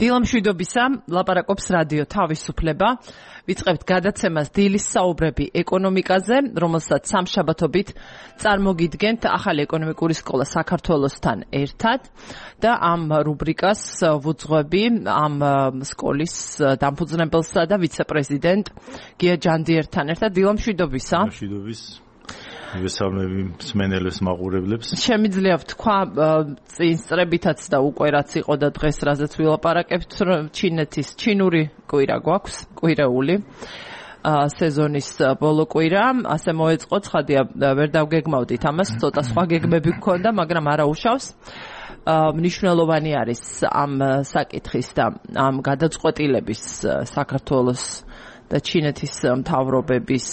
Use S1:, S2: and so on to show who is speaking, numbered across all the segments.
S1: დილამშვიდობისა, ლაპარაკობს რადიო თავისუფლება. ვიწყებთ გადაცემას დილის საუბრები ეკონომიკაზე, რომელსაც სამშაბათობით წარმოგიდგენთ ახალი ეკონომიკური სკოლა საქართველოსთან ერთად და ამ რუბრიკას ვუძღვები ამ სკოლის დამფუძნებელსა და ვიცე-პრეზიდენტ გია ჯანდიერთან ერთად. დილამშვიდობისა.
S2: ვესალმები მსმენელებს, მაყურებლებს.
S1: შემიძლია ვთქვა წინსწრებითაც და უკვე რაც იყო და დღეს რაზეც ვილაპარაკებთ, ჩინეთის ჩინური კვირა გვაქვს, კვირეული სეზონის ბოლო კვირა, ასე მოეწყო, ცხადია ვერ დავგეგმავდით ამას, ცოტა სხვა გეგმები გქონდა, მაგრამ არა უშავს. მნიშვნელოვანი არის ამ საკითხის და ამ გადაწყვეტილების საქართველოს და ჩინეთის მთავრობების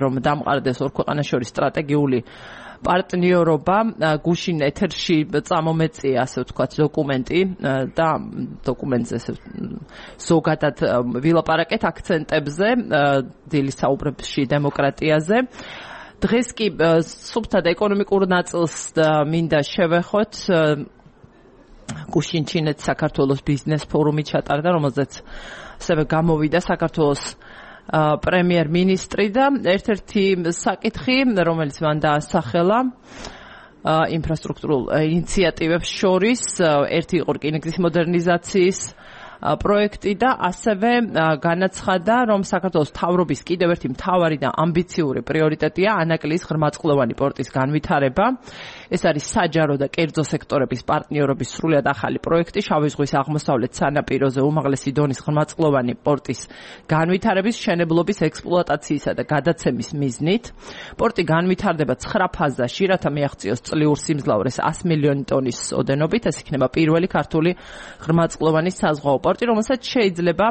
S1: რომ დამყარდეს ორ ქვეყანას შორის სტრატეგიული პარტნიორობა, გუშინ ეთერში წამომეწია, ასე ვთქვათ, დოკუმენტი და დოკუმენტზე ზოგადად ვილაპარაკეთ აქცენტებზე, დილის საუბრებში დემოკრატიაზე. დღეს კი სუფთად ეკონომიკურ ნაწილს მინდა შევეხოთ. გუშინ ჩინეთის საქართველოს ბიზნეს ფორუმი ჩატარდა, რომელზეც ასევე გამოვიდა საქართველოს პრემიერ-მინისტრი და ერთ-ერთი საკითხი, რომელიც მან დაასახელა ინფრასტრუქტურულ ინიციატივებს შორის, ერთი იყო რკინიგზის მოდერნიზაციის პროექტი და ასევე განაცხადა, რომ საქართველოს მთავრობის კიდევ ერთი მთავარი და ამბიციური პრიორიტეტია ანაკლიის ღრმაწყლოვანი პორტის განვითარება. ეს არის საჯარო და კერძო სექტორების პარტნიორობის სრულიად ახალი პროექტი შავი ზღვის აღმოსავლეთ სანაპიროზე უმაღლესი დონის ღრმაწყლოვანი პორტის განვითარების, მშენებლობის, ექსპლუატაციისა და გადაცემის მიზნით. პორტი განვითარდება 9 ფაზაში, რათა მიაღწიოს წლიურ სიმძლავრეს 100 მილიონი ტონის ოდენობით. ეს იქნება პირველი ქართული ღრმაწყლოვანი საზღვაო პორტი, რომელსაც შეიძლება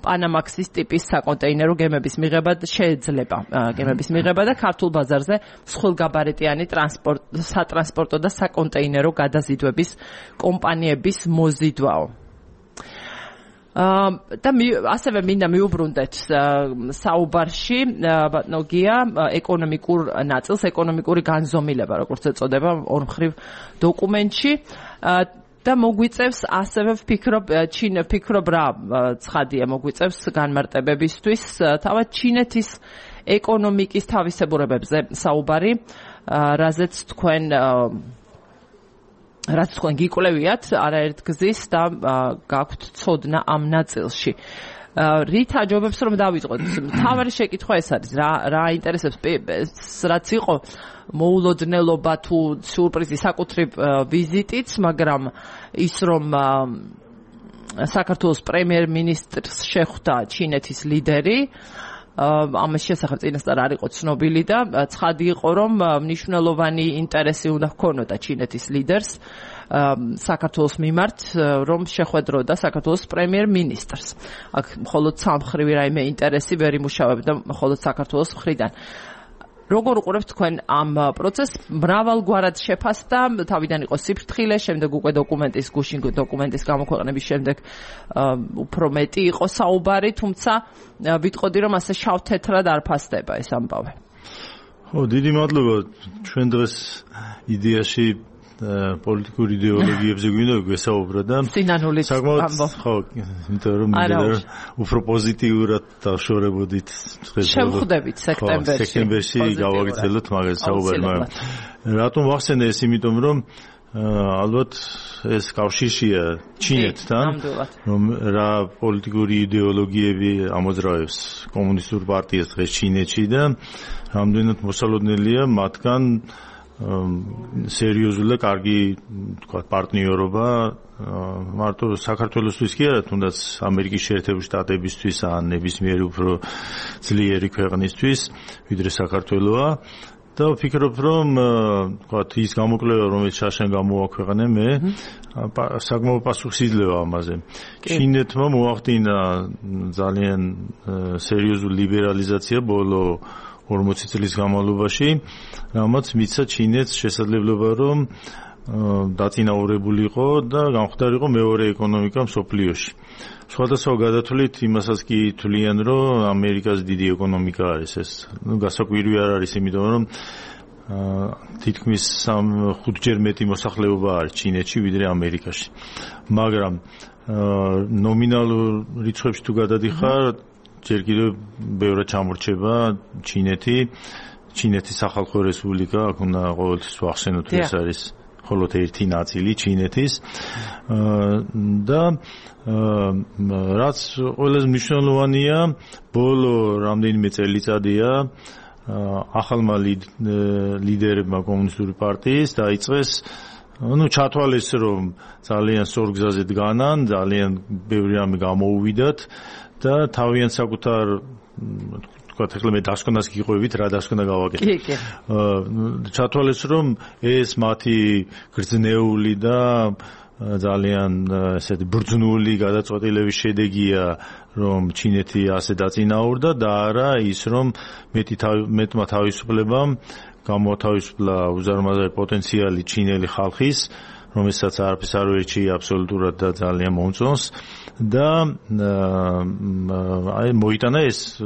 S1: პანამაქსის ტიპის საკონტეინერო გემების მიღება და ქართულ ბაზარზე მსხვილგაბარიტიანი სატრანსპორტო და საკონტეინერო გადაზიდვების კომპანიების მოზიდვაო. და ასევე მინდა მიუბრუნდეთ საუბარში ბატონო გია ეკონომიკურ ნაწილს, ეკონომიკური განზომილება, როგორც ეწოდება ორმხრივ დოკუმენტში. და მოგვიწევს ასევე ვფიქრობ რა ცხადია მოგვიწევს განმარტებებისთვის თავად ჩინეთის ეკონომიკის თავისებურებებზე საუბარი, რაც თქვენ გიკვლევიათ არაერთგზის და გაქვთ ცოდნა ამ ნაწილში. რით აჯობებს რომ დავიწყოთ? მთავარი შეკითხვა ეს არის, რა აინტერესებს, რაც იყო მოულოდნელობა თუ სიურპრიზი საკუთრივ ვიზიტიც, მაგრამ ის რომ საქართველოს პრემიერ-მინისტრს შეხვდა ჩინეთის ლიდერი, ამის შესახებ წინასწარ არ იყო ცნობილი და ცხადი იყო, რომ მნიშვნელოვანი ინტერესი უნდა ჰქონოდა ჩინეთის ლიდერს საქართველოს მიმართ, რომ შეხვედროდა საქართველოს პრემიერ-მინისტრს. აქ მხოლოდ სამხრივი რაიმე ინტერესი ვერ იმუშავებდა მხოლოდ საქართველოს მხრიდან. როგორ უყურებთ თქვენ ამ პროცესს? მრავალგვარად შეფასდა, თავიდან იყო სიფრთხილე, შემდეგ უკვე გუშინ დოკუმენტის გამოქვეყნების შემდეგ უფრო მეტი იყო საუბარი, თუმცა ვიტყოდი, რომ ასე შავ-თეთრად არ ფასდება ეს ამბავი.
S2: დიდი მადლობა. ჩვენ დღეს იდეაში პოლიტიკური იდეოლოგიებზე გვინდა გვესაუბრა და საკმაოდ იმიტომ რომ უფრო პოზიტიურად დავშორებოდით
S1: შევხვდებით
S2: სექტემბერში გავაგრძელოთ მაგას საუბარი, მაგრამ რატომ ვახსენე ეს? იმიტომ რომ ალბათ ეს კავშირშია ჩინეთთან, რომ რა პოლიტიკური იდეოლოგიები ამოძრავებს კომუნისტურ პარტიას დღეს ჩინეთში და რამდენად მოსალოდნელია მათგან სერიოზული და კარგი თქვა პარტნიორობა მარტო საქართველოსთვის კი არა, თუნდაც ამერიკის შეერთებული შტატებისთვის ან ნებისმიერი უფრო ძლიერი ქვეყნისთვის, ვიდრე საქართველოა. და ვფიქრობ, რომ თქვა ის გამოკვლევა, რომელიც შაშენ გამოაქვეყნე მე, საკმაოდ პასუხისმგებლია ამაზე. ჩინეთმა მოახდინა ძალიან სერიოზული ლიბერალიზაცია ბოლო 40 წლის განმავლობაში, რამაც მისცა ჩინეთს შესაძლებლობა, რომ დაწინაურებულიყო და გამხდარიყო მეორე ეკონომიკა მსოფლიოში. სხვადასხვა გადათვლით იმასაც კი თვლიან, რომ ამერიკას დიდი ეკონომიკა არის ეს. გასაკვირი არ არის, იმიტომ რომ თითქმის 5-ჯერ მეტი მოსახლეობა არის ჩინეთში, ვიდრე ამერიკაში. მაგრამ ნომინალურ რიცხვებში თუ გადადიხარ, ჯერ კიდევ ბევრად ჩამორჩება ჩინეთის სახალხო რესპუბლიკა, აქ უნდა ყოველთვის ვახსენოთ, ეს არის მხოლოდ ერთი ნაწილი ჩინეთის და რაც ყველაზე მნიშვნელოვანია, ბოლო რამდენიმე წელიწადია ახალმა ლიდერებმა კომუნისტური პარტიის დაიწყეს ჩათვალეს, რომ ძალიან სწორ გზაზე დგანან, ძალიან ბევრი რამე გამოუვიდათ და თავიანთ საკუთარ ეხლა მე დასკვნას გიყვებით, რა დასკვნა გავაკეთე. ჩათვალეს, რომ ეს მათი გრძნეული და ძალიან ესეთი ბრძნული გადაწყვეტილების შედეგია, რომ ჩინეთი ასე დაწინაურდა და არა ის, რომ მეტმა თავისუფლებამ გამოათავისუფლა უზარმაზარი პოტენციალი ჩინელი ხალხის, რომელსაც არაფერს არ ვერჩი აბსოლუტურად და ძალიან მომწონს და მოიტანა ეს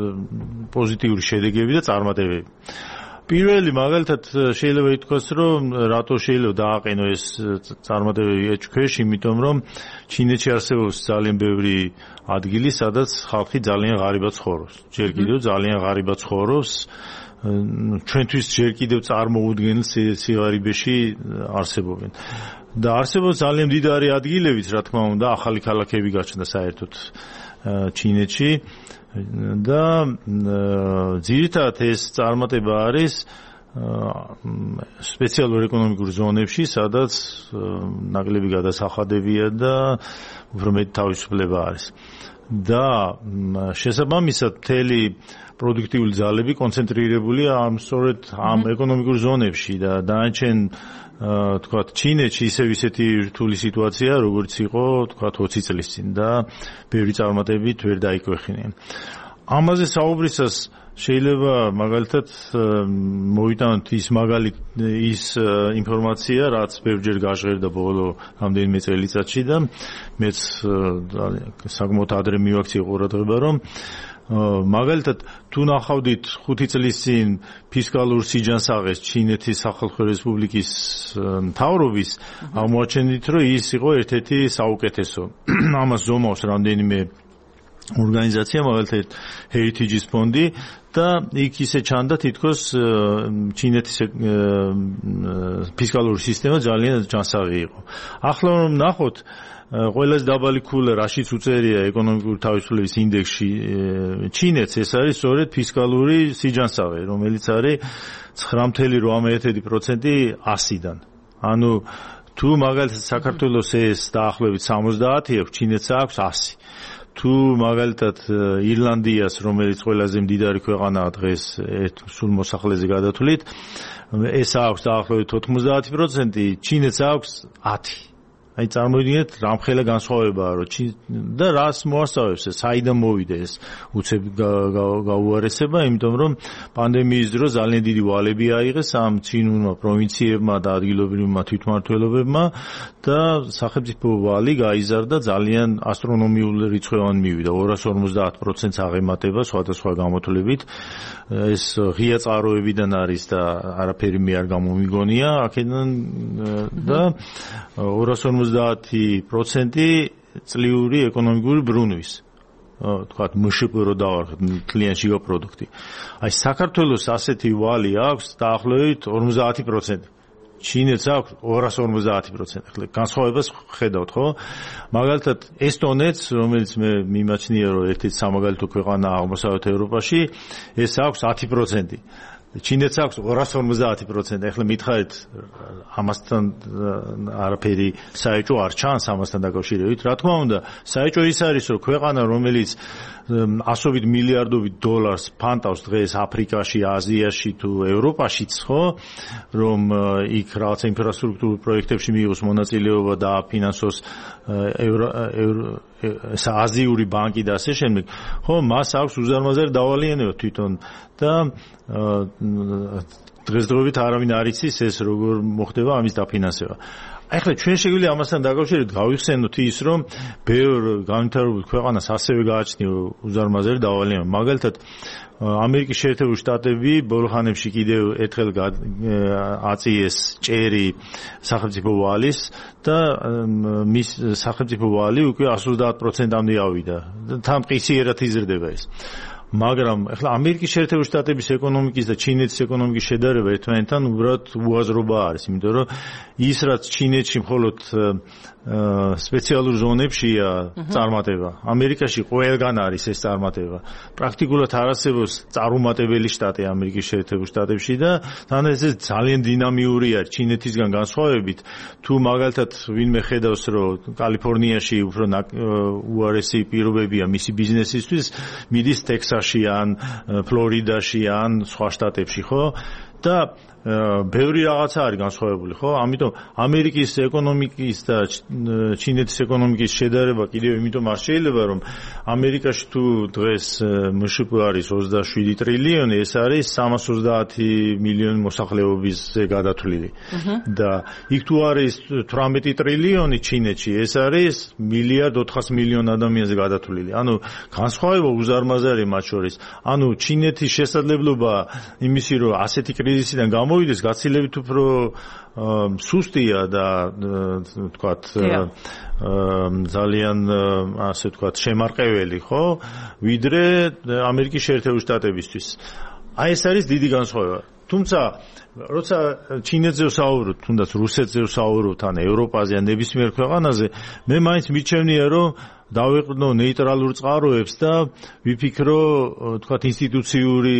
S2: პოზიტიური შედეგები და წარმატებები. პირველი მაგალითად შეიძლება ითქვას, რომ რატო შეიძლება დააყენო ეს წარმატებები ეჭქვეშ, იმიტომ რომ ჩინეთში არსებობს ძალიან ბევრი ადგილი, სადაც ხალხი ძალიან ღარიბად ცხოვრობს. ჯერ კიდევ ძალიან ღარიბად ცხოვრობს. ჩვენთვის ჯერ კიდევ წარმოუდგენელ სიღარიბეში არსებობენ. და არსებობს ძალიან მდიდარი ადგილებიც, რა თქმა უნდა, ახალი ქალაქები გაჩნდა საერთოდ ჩინეთში და ძირითადად ეს წარმატება არის სპეციალურ ეკონომიკურ ზონებში, სადაც ნაკლები გადასახადებია და უფრო მეტი თავისუფლება არის. და შესაბამისად მთელი პროდუქტიული ძალები კონცენტრირებულია სწორედ ამ ეკონომიკურ ზონებში და დანარჩენ თქვათ ჩინეთში ისეთი რთული სიტუაცია, როგორც იყო თქვათ 20 წლის წინ და ბევრი წარმატებით ვერ დაიქვეხინეს. ამაზე საუბრისას შეიძლება მაგალითად მოვიტანოთ ის ინფორმაცია, რაც ბევრჯერ გაჟღერდა ბოლო რამდენიმე წელიწადში და მეც საკმაოდ ადრე მივაქციე ყურადღება, რომ მაგალითად თუ ნახავდით 5 წლის წინ ფისკალურ სიჯანსაღეს ჩინეთის სახალხო რესპუბლიკის მთავრობის, აღმოაჩენდით, რომ ის იყო ერთ-ერთი საუკეთესო. ამას ზომავს რამდენიმე ორგანიზაცია, მაგალითად Heritage ფონდი და იქ ისე ჩანდა თითქოს ჩინეთის ფისკალური სისტემა ძალიან ჯანსაღი იყო. ახლა რომ ნახოთ ყველაზე დაბალი ქულა რაშიც უწერია ეკონომიკური თავისუფლების ინდექსში ჩინეთს, ეს არის სწორედ ფისკალური სიჯანსაღე, რომელიც არის 9.8% 100-დან. ანუ თუ მაგალითად საქართველოს ეს დაახლოებით 70 აქვს, ჩინეთს აქვს 100. თუ მაგალითად ირლანდიას, რომელიც ყველაზე მდიდარი ქვეყანაა დღეს სულ მოსახლეზე გადათვლით, ეს აქვს დაახლოებით 90%, ჩინეთს აქვს 10. აი წარმოვიდგინეთ, რამხელა განსხვავებაა, რომ და რას მოასწავებს ეს, საიდან მოვიდა ეს უცებ გაუარესება, იმიტომ რომ პანდემიის დროს ძალიან დიდი ვალები აიღეს ამ ცინურმა პროვინციებმა და ადგილობრივმა თვითმმართველობებმა და სახელმწიფო ვალი გაიზარდა ძალიან ასტრონომიული რიცხვებად მივიდა, 250%-ს აღემატება სხვადასხვა გამოთვლებით. ეს ღია წყაროებიდან არის და არაფერი მე არ გამომიგონია აქედან და 250% წლიური ეკონომიკური ბრუნვის. თქვათ მშპ რო დავარხეთ კლიანტში პროდუქტი. აი საქართველოს ასეთი ვალი აქვს დაახლოებით 50%. ჩინეთს აქვს 250%. ახლა განსხვავებას ხედავთ, ხო? მაგალითად ესტონეთს, რომელიც მე მიმაჩნია, რომ ერთ-ერთი სამაგალითო ქვეყანაა აღმოსავლეთ ევროპაში, ეს აქვს 10%. ჩინეთს აქვს 250%. ახლა მითხარით, ამასთან არაფერი საეჭვო არ ჩანს ამასთან დაკავშირებით. რა თქმა უნდა, საეჭვო ის არის, რომ ქვეყანა, რომელიც ასობით მილიარდობით დოლარს ფანტავს დღეს აფრიკაში, აზიაში თუ ევროპაშიც, ხო, რომ იქ რაღაცა ინფრასტრუქტურულ პროექტებში მიიღოს მონაწილეობა და აფინანსოს აზიური ბანკი და ასე შემდეგ, ხო, მას აქვს უზარმაზარი დავალიანება თვითონ და დღესდღეობით არავინ არ იცის ეს როგორ მოხდება ამის დაფინანსება. ახლა ჩვენ შეგვიძლია ამასთან დაკავშირებით გავიხსენოთ ის, რომ ბევრ განვითარებულ ქვეყანას ასევე გააჩნია უზარმაზარი დავალება. მაგალითად, ამერიკის შეერთებული შტატები ბოლო ხანებში კიდევ ერთხელ აწიეს ჭერი სახელმწიფო ვალის და მის სახელმწიფო ვალი უკვე 130%-მდე ავიდა. თან მყისიერად იზრდება ეს. მაგრამ ახლა ამერიკის შეერთებული შტატების ეკონომიკის და ჩინეთის ეკონომიკის შედარება ერთმანეთთან უბრალოდ უაზრობა არის, იმიტომ რომ ის რაც ჩინეთში მხოლოდ სპეციალურ ზონებშია წარმატება, ამერიკაში ყველგან არის ეს წარმატება. პრაქტიკულად არ არსებობს წარუმატებელი შტატი ამერიკის შეერთებულ შტატებში და თან ეს ძალიან დინამიური არის ჩინეთისგან განსხვავებით. თუ მაგალითად ვინმე ხედავს, რომ კალიფორნიაში უფრო უარესი პირობებია მისი ბიზნესისთვის, მიდის ტექსასში ან ფლორიდაში ან სხვა შტატებში, ხო? და ბევრი რაღაცა არის განსხვავებული, ხო? ამიტომ ამერიკის ეკონომიკის და ჩინეთის ეკონომიკის შედარება კიდევ იმიტომ არ შეიძლება, რომ ამერიკაში თუ დღეს მშპ არის 27 ტრილიონი, ეს არის 330 მილიონი მოსახლეობისზე გადათვლილი. და იქ თუ არის 18 ტრილიონი ჩინეთში, ეს არის 1.4 მილიარდ ადამიანზე გადათვლილი. ანუ განსხვავება უზარმაზარია მათ შორის. ანუ ჩინეთის შესაძლებლობა იმისი, რომ ასეთი კრიზისიდან გამოვიდეს, გაცილებით უფრო სუსტია და თქვათ ძალიან ასე თქვათ შემარყეველი, ხო? ვიდრე ამერიკის შეერთებული შტატებისთვის. აი ეს არის დიდი განსხვავება. თუმცა როცა ჩინეთზე ვსაუბრობ, თუნდაც რუსეთზე ვსაუბრობ, ან ევროპაზე, ან ნებისმიერ ქვეყანაზე, მე მაინც მიჩვენია, რომ დავეყრდნო ნეიტრალურ წყაროებს და ვიფიქრო, თქვათ, ინსტიტუციური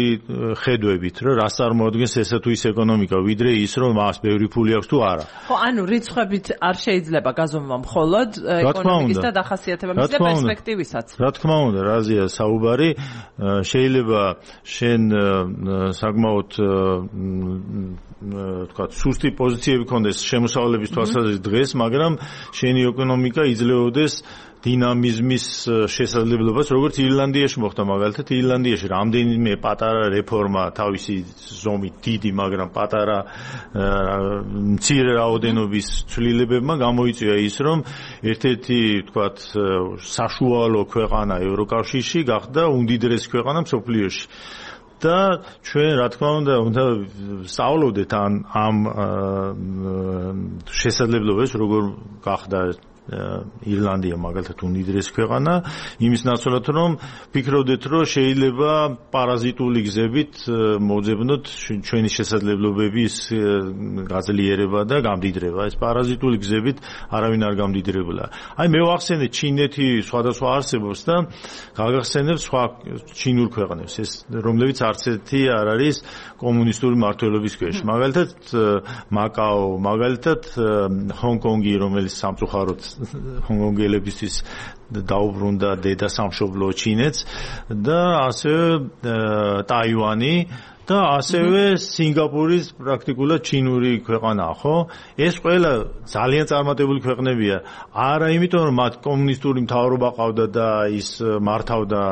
S2: ხედვებით, რომ რას წარმოადგენს ესა თუ ის ეკონომიკა, ვიდრე ის, რომ მას ბევრი ფული აქვს თუ არა.
S1: ხო, ანუ რიცხვებით არ შეიძლება გაზომვა მხოლოდ ეკონომიკის და დახასიათებების და პერსპექტივისაც.
S2: რა თქმა უნდა, რაზეა საუბარი, შეიძლება შენ საკმაოდ თქვათ, სუსტი პოზიციები ქონდეს შემოსავლების თვალსაზრისით დღეს, მაგრამ შენი ეკონომიკა იძლეოდეს დინამიზმის შესაძლებლობას, როგორც ირლანდიაში მოხდა მაგალითად, ირლანდიაში რამდენიმე პატარა რეფორმა თავისი ზომით დიდი, მაგრამ პატარა მცირე რაოდენობის ცვლილებებმა გამოიწვია ის, რომ ერთ-ერთი, თქვათ, საშუალო ქვეყანა ევროკავშირში გახდა უმდიდრესი ქვეყანა მსოფლიოში. და ჩვენ რა თქმა უნდა სწავლობდეთ ამ შესაძლებლობას, როგორ გახდა ირლანდია მაგალითად უმდიდრესი ქვეყანა, იმის ნაცვლად რომ ფიქრობდეთ, რომ შეიძლება პარაზიტული გზებით მოძებნოთ ჩვენი შესაძლებლობების გაძლიერება და გამდიდრება. ეს პარაზიტული გზებით არავინ არ გამდიდრებულა. აი მე ვახსენე ჩინეთი სხვადასხვა არსებობს და გაგახსენებ სხვა ჩინურ ქვეყნებს, ეს რომლებიც არც ერთი არ არის კომუნისტური მმართველობის ქვეშ. მაგალითად მაკაო, მაგალითად ჰონკონგი, რომელიც სამწუხაროდ ჰონკონგელებისთვის დაუბრუნდა დედა სამშობლო ჩინეთს და ასევე ტაივანი და ასევე სინგაპურის პრაქტიკულად ჩინური ქვეყანაა, ხო? ეს ყველა ძალიან წარმატებული ქვეყნებია. არა იმიტომ, რომ მათ კომუნისტური მთავრობა ყავდა და ის მართავდა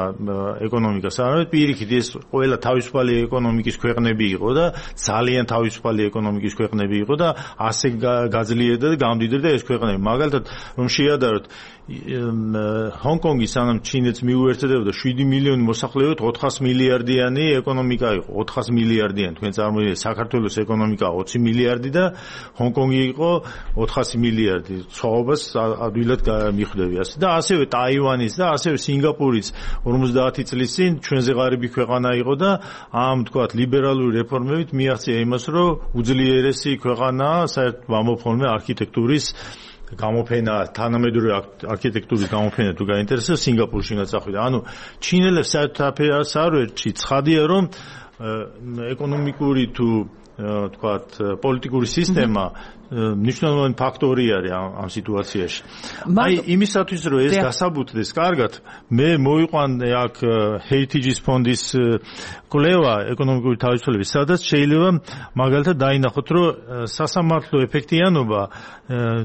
S2: ეკონომიკას, არამედ პირიქით, ეს ყველა თავისუფალი ეკონომიკის ქვეყნები იყო და ძალიან თავისუფალი ეკონომიკის ქვეყნები იყო და ასე გაძლიერდა და გამდიდრდა ეს ქვეყნები. მაგალითად, რომ შეადაროთ ჰონკონგი სანამ ჩინეთს მიუერთდებოდა 7 მილიონი მოსახლეობით 400 მილიარდიანი ეკონომიკა იყო. 400 მილიარდიანი, თქვენ წარმოიდგინეთ, საქართველოს ეკონომიკა 20 მილიარდი და ჰონკონგი იყო 400 მილიარდი. სხვაობას ადვილად მიხვდები ასე. და ასევე ტაივანის და ასევე სინგაპურიც 50 წლის წინ ჩვენზე ღარიბი ქვეყანა იყო და ამ თქვათ ლიბერალური რეფორმებით მიაღწია იმას, რომ უძლიერესი ქვეყანაა საერთოდ მომფორმე არქიტექტურის გამოფენა, თანამედროვე არქიტექტურის გამოფენა თუ გაინტერესებს სინგაპურში გაწახვიდა. ანუ ჩინელებს საერთოდ არ ვერჩი, ცხადია რომ ეკონომიკური თუ თქვათ პოლიტიკური სისტემა მნიშვნელოვანი ფაქტორი არის ამ სიტუაციაში. აი იმისათვის რომ ეს გასაბუთდეს კარგად, მე მოვიყვანე აქ Heritage ფონდის კვლევა ეკონომიკური თავისუფლების, სადაც შეიძლება მაგალითად დაინახოთ, რომ სასამართლო ეფექტიანობა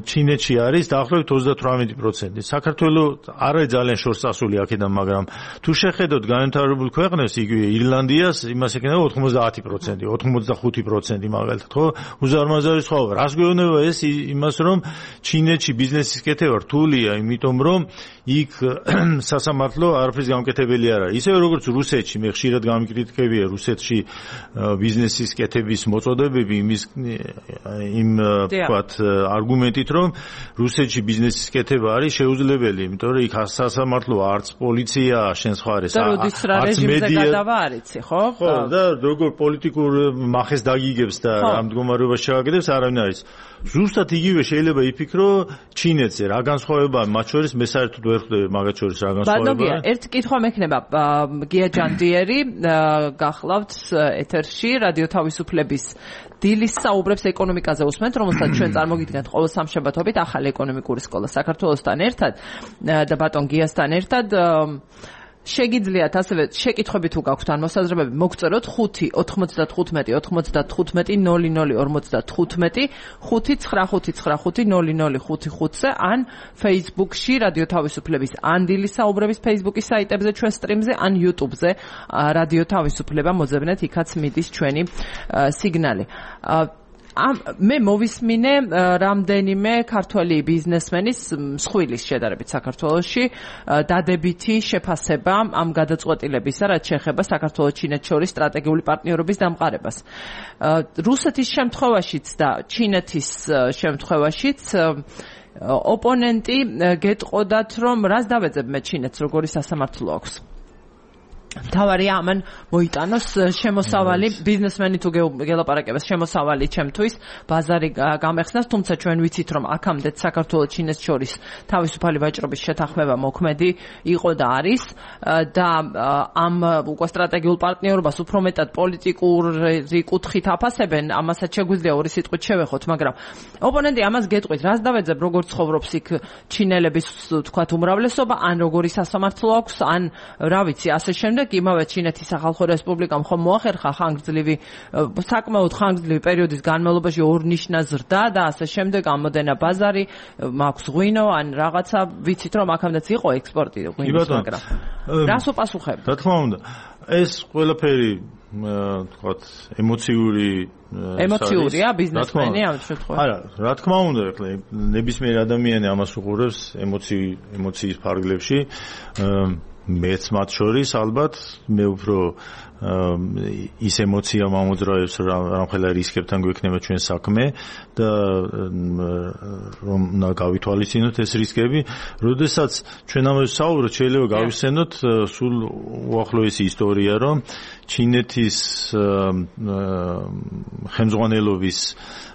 S2: ჩინეთში არის დაახლოებით 38%. საქართველოს არ არის ძალიან შორს წასული აქედან, მაგრამ თუ შეხედოთ განვითარებულ ქვეყნებს, იგივე ირლანდიას, იმას ეკნება 90%, 85% მაგალითად, ხო? უზარმაზარი სხვაობა. რას გვეუბნება მიეუბნება ეს იმას, რომ ჩინეთში ბიზნესის კეთება რთულია, იმიტომ რომ იქ სასამართლო არაფრის გამკეთებელი არ არის. ისევე როგორც რუსეთში, მე ხშირად გამიკრიტიკებია რუსეთში ბიზნესის კეთების მოწოდებები იმ ვთქვათ არგუმენტით, რომ რუსეთში ბიზნესის კეთება არის შეუძლებელი, იმიტომ რომ იქ სასამართლო არც პოლიცია შენს ხარეს,
S1: არც მედია არ იცი, ხო?
S2: ხო, და როგორ პოლიტიკურ მახეს დაგიგებს და რა მდგომარეობას შეაგდებს, არავინ არის. ზუსტად იგივე შეიძლება იფიქრო ჩინეთზე, რა განსხვავებაა მათ შორის, მე საერთოდ ვერ ხვდები მაგათ შორის რა განსხვავებაა.
S1: ერთ კითხვა მექნება, გია ჯანდიერი გახლავთ ეთერში, რადიო თავისუფლების დილის საუბრებს ეკონომიკაზე უსმენთ, რომელსაც ჩვენ წარმოგიდგენთ ყოველ სამშაბათობით ახალი ეკონომიკური სკოლა საქართველოსთან ერთად და ბატონ გიასთან ერთად. შეგიძლიათ ასევე შეკითხვები თუ გაქვთ ან მოსაზრებები მოგწეროთ 5 95 95 00 55 599550055-ზე ან Facebook-ში რადიო თავისუფლების ან დილის საუბრების Facebook-ის საიტებზე ჩვენ სტრიმზე ან YouTube-ზე რადიო თავისუფლება მოძებნეთ, იქაც მიდის ჩვენი სიგნალი. მე მოვისმინე რამდენიმე ქართველი ბიზნესმენის მსხვილის შედარებით საქართველოში დადებითი შეფასება ამ გადაწყვეტილებისა, რაც შეეხება საქართველოს-ჩინეთს შორის სტრატეგიული პარტნიორობის დამყარებას. რუსეთის შემთხვევაშიც და ჩინეთის შემთხვევაშიც ოპონენტი გეტყოდათ, რომ რას დავეძებ მე ჩინეთს, როგორი სასამართლო აქვს. თავარია ამან მოიტანოს შემოსავალი ბიზნესმენი თუ გელაპარაკებს შემოსავალი ჩემთვის ბაზარი გამეხსნას, თუმცა ჩვენ ვიცით რომ აქამდე საქართველოს ჩინეთს შორის თავისუფალი ვაჭრობის შეთანხმება მოქმედი იყო და არის და ამ უკვე სტრატეგიულ პარტნიორობას უფრო მეტად პოლიტიკური კუთხით აფასებენ, ამასაც შეგვიძლია ორი სიტყვით შევეხოთ, მაგრამ ოპონენტი ამას გეტყვით, რას დავეძებ, როგორ ცხოვრობს იქ ჩინელების თქვათ უმრავლესობა, ან როგორი სასამართლო აქვს, ან რა ვიცი, ასე შემდეგ. იმავე ჩინეთის სახალხო რესპუბლიკამ ხომ მოახერხა საკმაოდ ხანგრძლივი პერიოდის განმავლობაში ორნიშნა ზრდა და ასე შემდეგ, ამოდენა ბაზარი, მაქვს ღვინო, ან რაღაცა, ვიცით რომ აქამდეც იყო ექსპორტი ღვინის, მაგრამ რას უპასუხებთ?
S2: რა თქმა უნდა, ეს ყველაფერი თქვათ ემოციურია ბიზნესმენი ამ შემთხვევაში. არა, რა თქმა უნდა, ეხლა ნებისმიერ ადამიანი ამას უყურებს ემოციის ფარგლებში. მეც მათ შორის ალბათ მე უფრო ის ემოცია მომოძრავებს, რამხელა რისკებთან გვექნება ჩვენ საქმე და რომ უნდა გავითვალისწინოთ ეს რისკები. როდესაც ჩვენ ამაზე საუბრობთ, შეიძლება გავიხსენოთ სულ უახლოესი ისტორია, რომ ჩინეთის ხელმძღვანელობის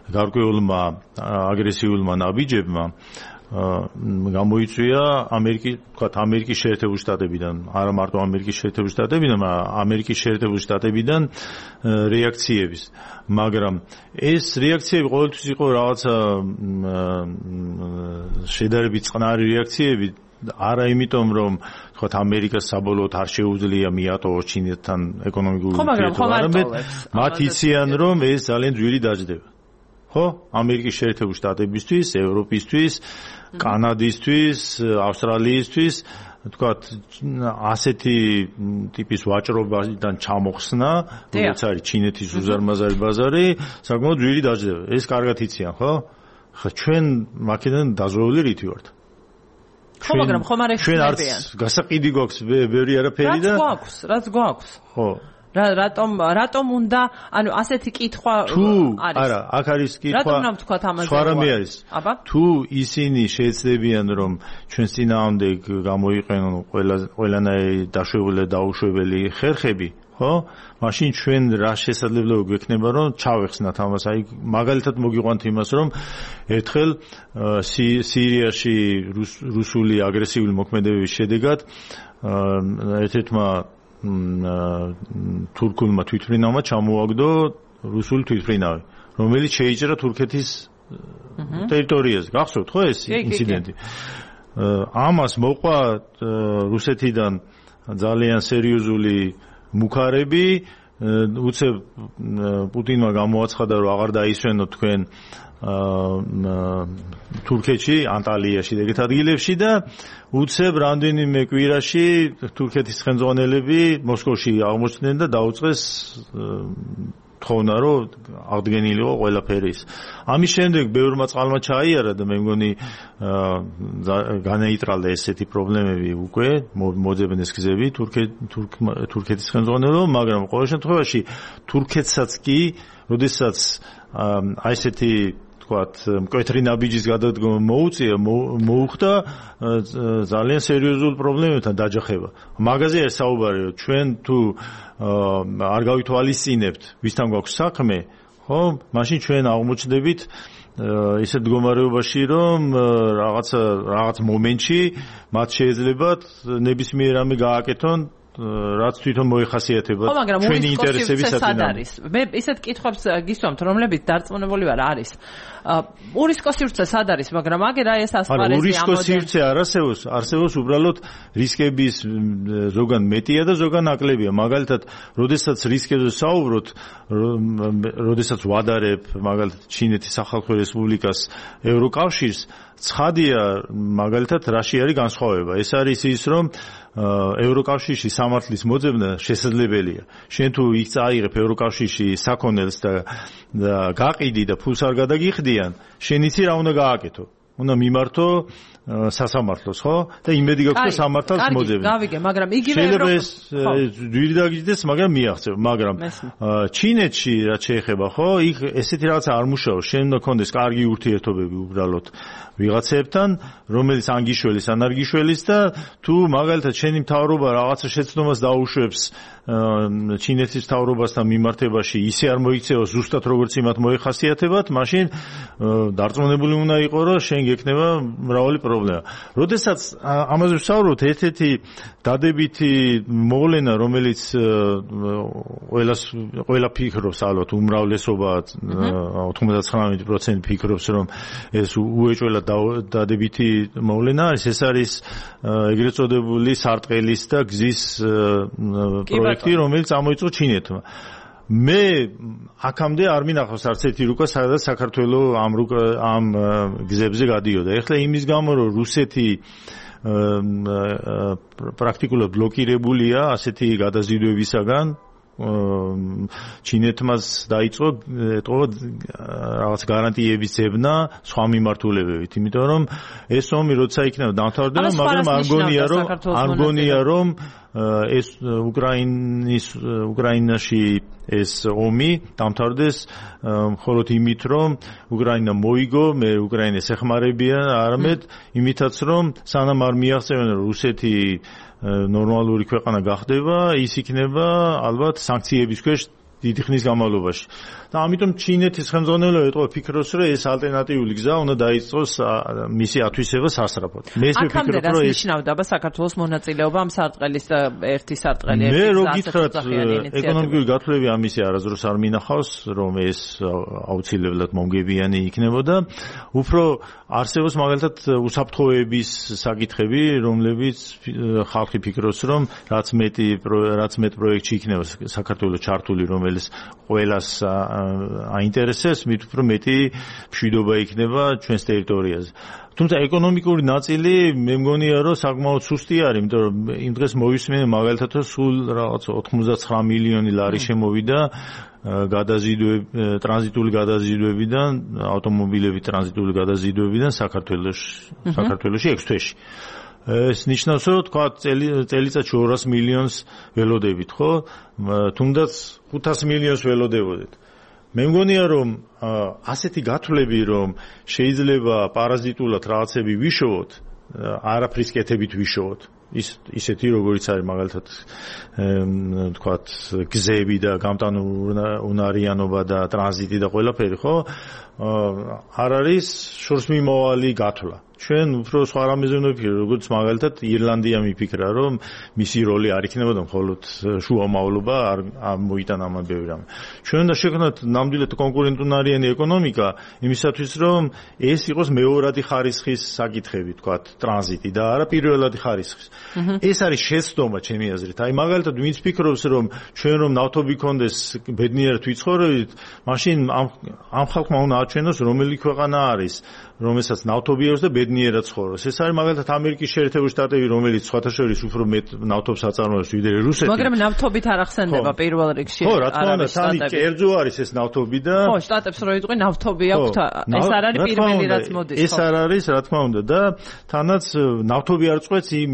S2: გარკვეულმა აგრესიულმა ნაბიჯებმა გამოიწვია ამერიკის შეერთებული შტატებიდან, არა მარტო ამერიკის შეერთებული შტატებიდან, ამერიკის შეერთებული შტატებიდან რეაქციების, მაგრამ ეს რეაქციები ყოველთვის იყო რაღაცა შედარებით წყნარი რეაქციები, არა იმიტომ რომ თქვათ ამერიკას საბოლოოდ არ შეუძლია მიატოვოს ჩინეთთან ეკონომიკური ურთიერთობა, არამედ მათ იციან რომ ეს ძალიან ძვირი დაждდება. ხო, ამერიკის შეერთებული შტატებისთვის, ევროპისთვის, კანადისთვის, ავსტრალიისთვის, თქვათ, ასეთი ტიპის ვაჭრობიდან ჩამოხსნა, როგორც არის ჩინეთის უზარმაზარი ბაზარი, საკმაოდ ძვირი დაждდება. ეს კარგად იციან, ხო? ხა ჩვენ მაქედან დაზროული რითი ვართ?
S1: ხო, მაგრამ ხომ არ ეხსნებიან.
S2: ჩვენ არც გასაყიდი გვაქვს ბევრი არაფერი და
S1: რაც გვაქვს. ხო. რატომ უნდა, ანუ ასეთი კითხვა არის? არა,
S2: აქ არის კითხვა.
S1: რატომ უნდა ვთქვათ ამაზე?
S2: სხვა რამე არის. თუ ისინი შეეცდებიან რომ ჩვენს წინააღმდეგ გამოიყენონ ყველანაირი დაშვებული და დაუშვებელი ხერხები, ხო? მაშინ ჩვენ რა შესაძლებლობა გვექნება რომ ჩავეხსნათ ამას. აი მაგალითად მოგიყვანთ იმას რომ ერთხელ სირიაში რუსული აგრესიული მოქმედებების შედეგად ერთ-ერთმა თურქულმა თვითმფრინავმა ჩამოაგდო რუსული თვითმფრინავი, რომელიც შეიჭრა თურქეთის ტერიტორიაზე. გახსოვთ ხო ეს ინციდენტი? ამას მოყვა რუსეთიდან ძალიან სერიოზული მუქარები, უცებ პუტინმა გამოაცხადა რომ აღარ დაისვენოთ თქვენ თურქეთში, ანტალიაში და ეგეთ ადგილებში და უცებ რამდენიმე კვირაში თურქეთის ხელმძღვანელები მოსკოვში აღმოჩნდნენ და დაუწყეს თხოვნა რომ აღდგენილიყო ყველაფერი ის. ამის შემდეგ ბევრმა წყალმა ჩაიარა და მე მგონი განაიტრალდა ესეთი პრობლემები უკვე მოძებნეს ეს გზები თურქეთის ხელმძღვანელობა, მაგრამ ყოველ შემთხვევაში თურქეთსაც კი, როდესაც აი ესეთი თქვათ მკვეთრი ნაბიჯის გადადგომა მოუხდა ძალიან სერიოზულ პრობლემებთან დაჯახება. მაგაზე არ საუბარი, ჩვენ თუ არ გავითვალისწინებთ ვისთან გვაქვს საქმე, ხო, მაშინ ჩვენ აღმოჩნდებით ისეთ მდგომარეობაში, რომ რაღაც მომენტში მათ შეიძლებათ ნებისმიერ რამე გააკეთონ, რაც თვითონ მოიხასიათებათ ჩვენი ინტერესების საწინააღმდეგოდ.
S1: მე ისეთ კითხვებს გისვამთ, რომლებიც დარწმუნებული ვარ არის. ურისკო სივრცე სად არის, მაგრამ აგერ აი ეს ასპარეზი ამოდენ.
S2: ურისკო სივრცე არ არსებობს უბრალოდ რისკების ზოგან მეტია და ზოგან ნაკლებია. მაგალითად, როდესაც რისკებზე საუბრობთ, როდესაც ვადარებ მაგალითად ჩინეთის სახალხო რესპუბლიკას ევროკავშირს, ცხადია მაგალითად რაში არის განსხვავება. ეს არის ის, რომ ევროკავშირში სამართლის მოძებნა შესაძლებელია. შენ თუ იქ წაიღებ ევროკავშირში საქონელს და გაყიდი და ფულს არ გადაგიხდიან, შენ იცი რა უნდა გააკეთო. უნდა მიმართო სასამართლოს, ხო? და იმედი გაქვს რომ სამართალს მოძებნი.
S1: გავიგე, მაგრამ იგივე
S2: შეიძლება ეს ძვირი დაგიჯდეს, მაგრამ მიაღწევ, მაგრამ ჩინეთში რაც შეეხება, ხო, იქ ესეთი რაღაცა არ მუშაობს. შენ უნდა გქონდეს კარგი ურთიერთობები უბრალოდ ვიღაცებთან, რომელიც ანგიშველის ან არ გიშველის და თუ მაგალითად შენი მთავრობა რაღაცა შეცდომას დაუშვებს ჩინეთის მთავრობასთან მიმართებაში, ისე არ მოიქცეოს ზუსტად როგორც იმათ მოიხასიათებათ, მაშინ დარწმუნებული უნდა იყო, რომ შენ გექნება მრავალი პრობლემა. როდესაც ამაზე ვსაუბრობთ, ერთ-ერთი დადებითი მოვლენა, რომელიც ყველა ფიქრობს, ალბათ უმრავლესობა 99% ფიქრობს, რომ ეს უეჭველად დადებითი მოვლენა არის, ეს არის ეგრეთ წოდებული სარტყელის და გზის პროექტი, რომელიც წამოიწყო ჩინეთმა. მე აქამდე არ მინახავს არც ერთი რუკა, სადაც საქართველოს ამ გზებზე გადიოდა. ეხლა იმის გამო, რომ რუსეთი პრაქტიკულად ბლოკირებულია ასეთი გადაზიდვებისაგან, ჩინეთმაც დაიწყო რაღაც გარანტიების ძებნა სხვა მიმართულებებით, იმიტომ რომ ეს ომი როცა იქნება დამთავრდება, მაგრამ არ მგონია რომ ეს უკრაინაში ეს ომი დამთავრდეს მხოლოდ იმით, რომ უკრაინა მოიგო, მე უკრაინას ეხმარებიან, არამედ იმითაც, რომ სანამ არ მიაღწევენ რუსეთი ნორმალური ქვეყანა გახდება, ის იქნება ალბათ სანქციების ქვეშ დიდი ხნის განმავლობაში. და ამიტომ ჩინეთის ხელმძღვანელობა ეტყობა ფიქრობს, რომ ეს ალტერნატიული გზა უნდა დაიწყოს მისი ათვისება სასწრაფოდ. მე ეს ვფიქრობ, რომ
S1: ეს ნიშნავდა საქართველოს მონაწილეობა ამ სარტყელის ერთი სარტყელი
S2: ერთი გზა. მე რო გითხრათ, ეკონომიკური გათვლებები ამისი არასდროს არ მინახავს, რომ ეს აუცილებლად მომგებიანი იქნებოდა. უფრო არსებობს მაგალითად უსაფრთხოების საკითხები, რომლებიც ხალხი ფიქრობს, რომ რაც მეტ პროექტში იქნება საქართველოს ჩართული, რომელიც ყველას აინტერესებს, მით უფრო მეტი მშვიდობა იქნება ჩვენს ტერიტორიაზე. თუმცა ეკონომიკური ნაწილი მე მგონია, რომ საკმაოდ სუსტი არის, იმიტომ რომ იმ დღეს მოვისმენე მაგალითად, რომ სულ რაღაც 99 მილიონი ლარი შემოვიდა ტრანზიტული გადაზიდვებიდან, ავტომობილების ტრანზიტული გადაზიდვებიდან საქართველოში 6 თვეში. ეს ნიშნავს, რომ თქვა წელიწადში 200 მილიონს ველოდებით, ხო? თუნდაც 500 მილიონს ველოდებოდეთ. მე მგონია, რომ ასეთი გათვლები, რომ შეიძლება პარაზიტულად რაღაცები ვიშოვოთ, არაფრის კეთებით ვიშოვოთ. ისეთი როგორიც არის მაგალითად თქვათ გზები და გამტანუნარიანობა და ტრანზიტი და ყველაფერი, ხო? არ არის შორსმიმავალი გათვლა. ჩვენ უფრო სხვა რამეზე უნდა ვფიქროთ, როგორც მაგალითად ირლანდია მიფიქრა, რომ მისი როლი არ იქნებოდა მხოლოდ შუამავლობა, არ მოიტანა ამან ბევრი რამე. ჩვენ უნდა შევქნათ ნამდვილად კონკურენტუნარიანი ეკონომიკა იმისათვის, რომ ეს იყოს მეორადი ხარისხის საკითხები, თქვათ ტრანზიტი და არა პირველადი ხარისხის. ეს არის შეცდომა ჩემი აზრით. აი მაგალითად ვინც ფიქრობს, რომ ჩვენ რომ ნავთობი გქონდეს ბედნიერად ვიცხოვრებით, მაშინ ამ ხალხმა უნდა აჩვენოს, რომელი ქვეყანა არის, რომელსაც ნავთობი აქვს და ბედნიერად ცხოვრობს. ეს არის მაგალითად ამერიკის შეერთებული შტატები, რომელიც სხვათა შორის უფრო მეტ ნავთობს აწარმოებს ვიდრე რუსეთი.
S1: მაგრამ ნავთობით არ ახსენდება პირველ რიგში.
S2: ხო, რა თქმა უნდა, თან კერძო არის ეს ნავთობი და
S1: ხო, შტატებს რო იტყვი ნავთობი აქვთ, ეს არ არის პირველი რაც მოდის.
S2: ეს არ არის, რა თქმა უნდა და თანაც ნავთობი არ წყვეტს იმ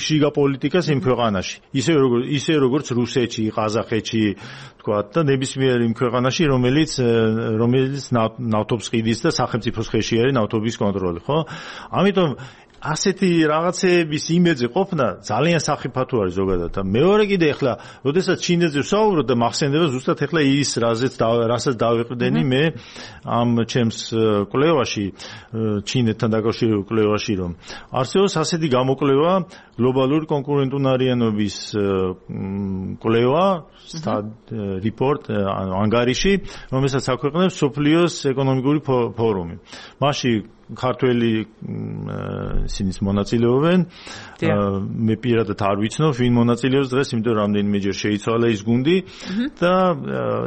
S2: შიგა პოლიტიკას იმ ქვეყანაში. ისე როგორც რუსეთში, ყაზახეთში, თქვათ და ნებისმიერ იმ ქვეყანაში, რომელიც ნავთობს ყიდის და სახელმწიფოს ხელში არის ნავთობის კონტროლი, ხო? ამიტომ ასეთი რაღაცეების იმედზე ყოფნა ძალიან სახიფათო არის ზოგადად და მეორე კიდე ახლა, როდესაც ჩინეთზე ვსაუბრობ და მახსენდება ზუსტად ახლა ის რასაც დავიყრდენი მე ამ ჩემს კვლევაში, ჩინეთთან დაკავშირებულ კვლევაში, რომ არსებობს ასეთი გამოკვლევა გლობალური კონკურენტუნარიანობის კვლევა, report ანგარიში, რომელსაც აქვეყნებს მსოფლიოს ეკონომიკური ფორუმი. მასში ქართველი ისინიც მონაწილეობენ. მე პირადად არ ვიცნობ, ვინ მონაწილეობს დღეს, იმიტომ რომ რამდენიმეჯერ შეიცვალა ის გუნდი და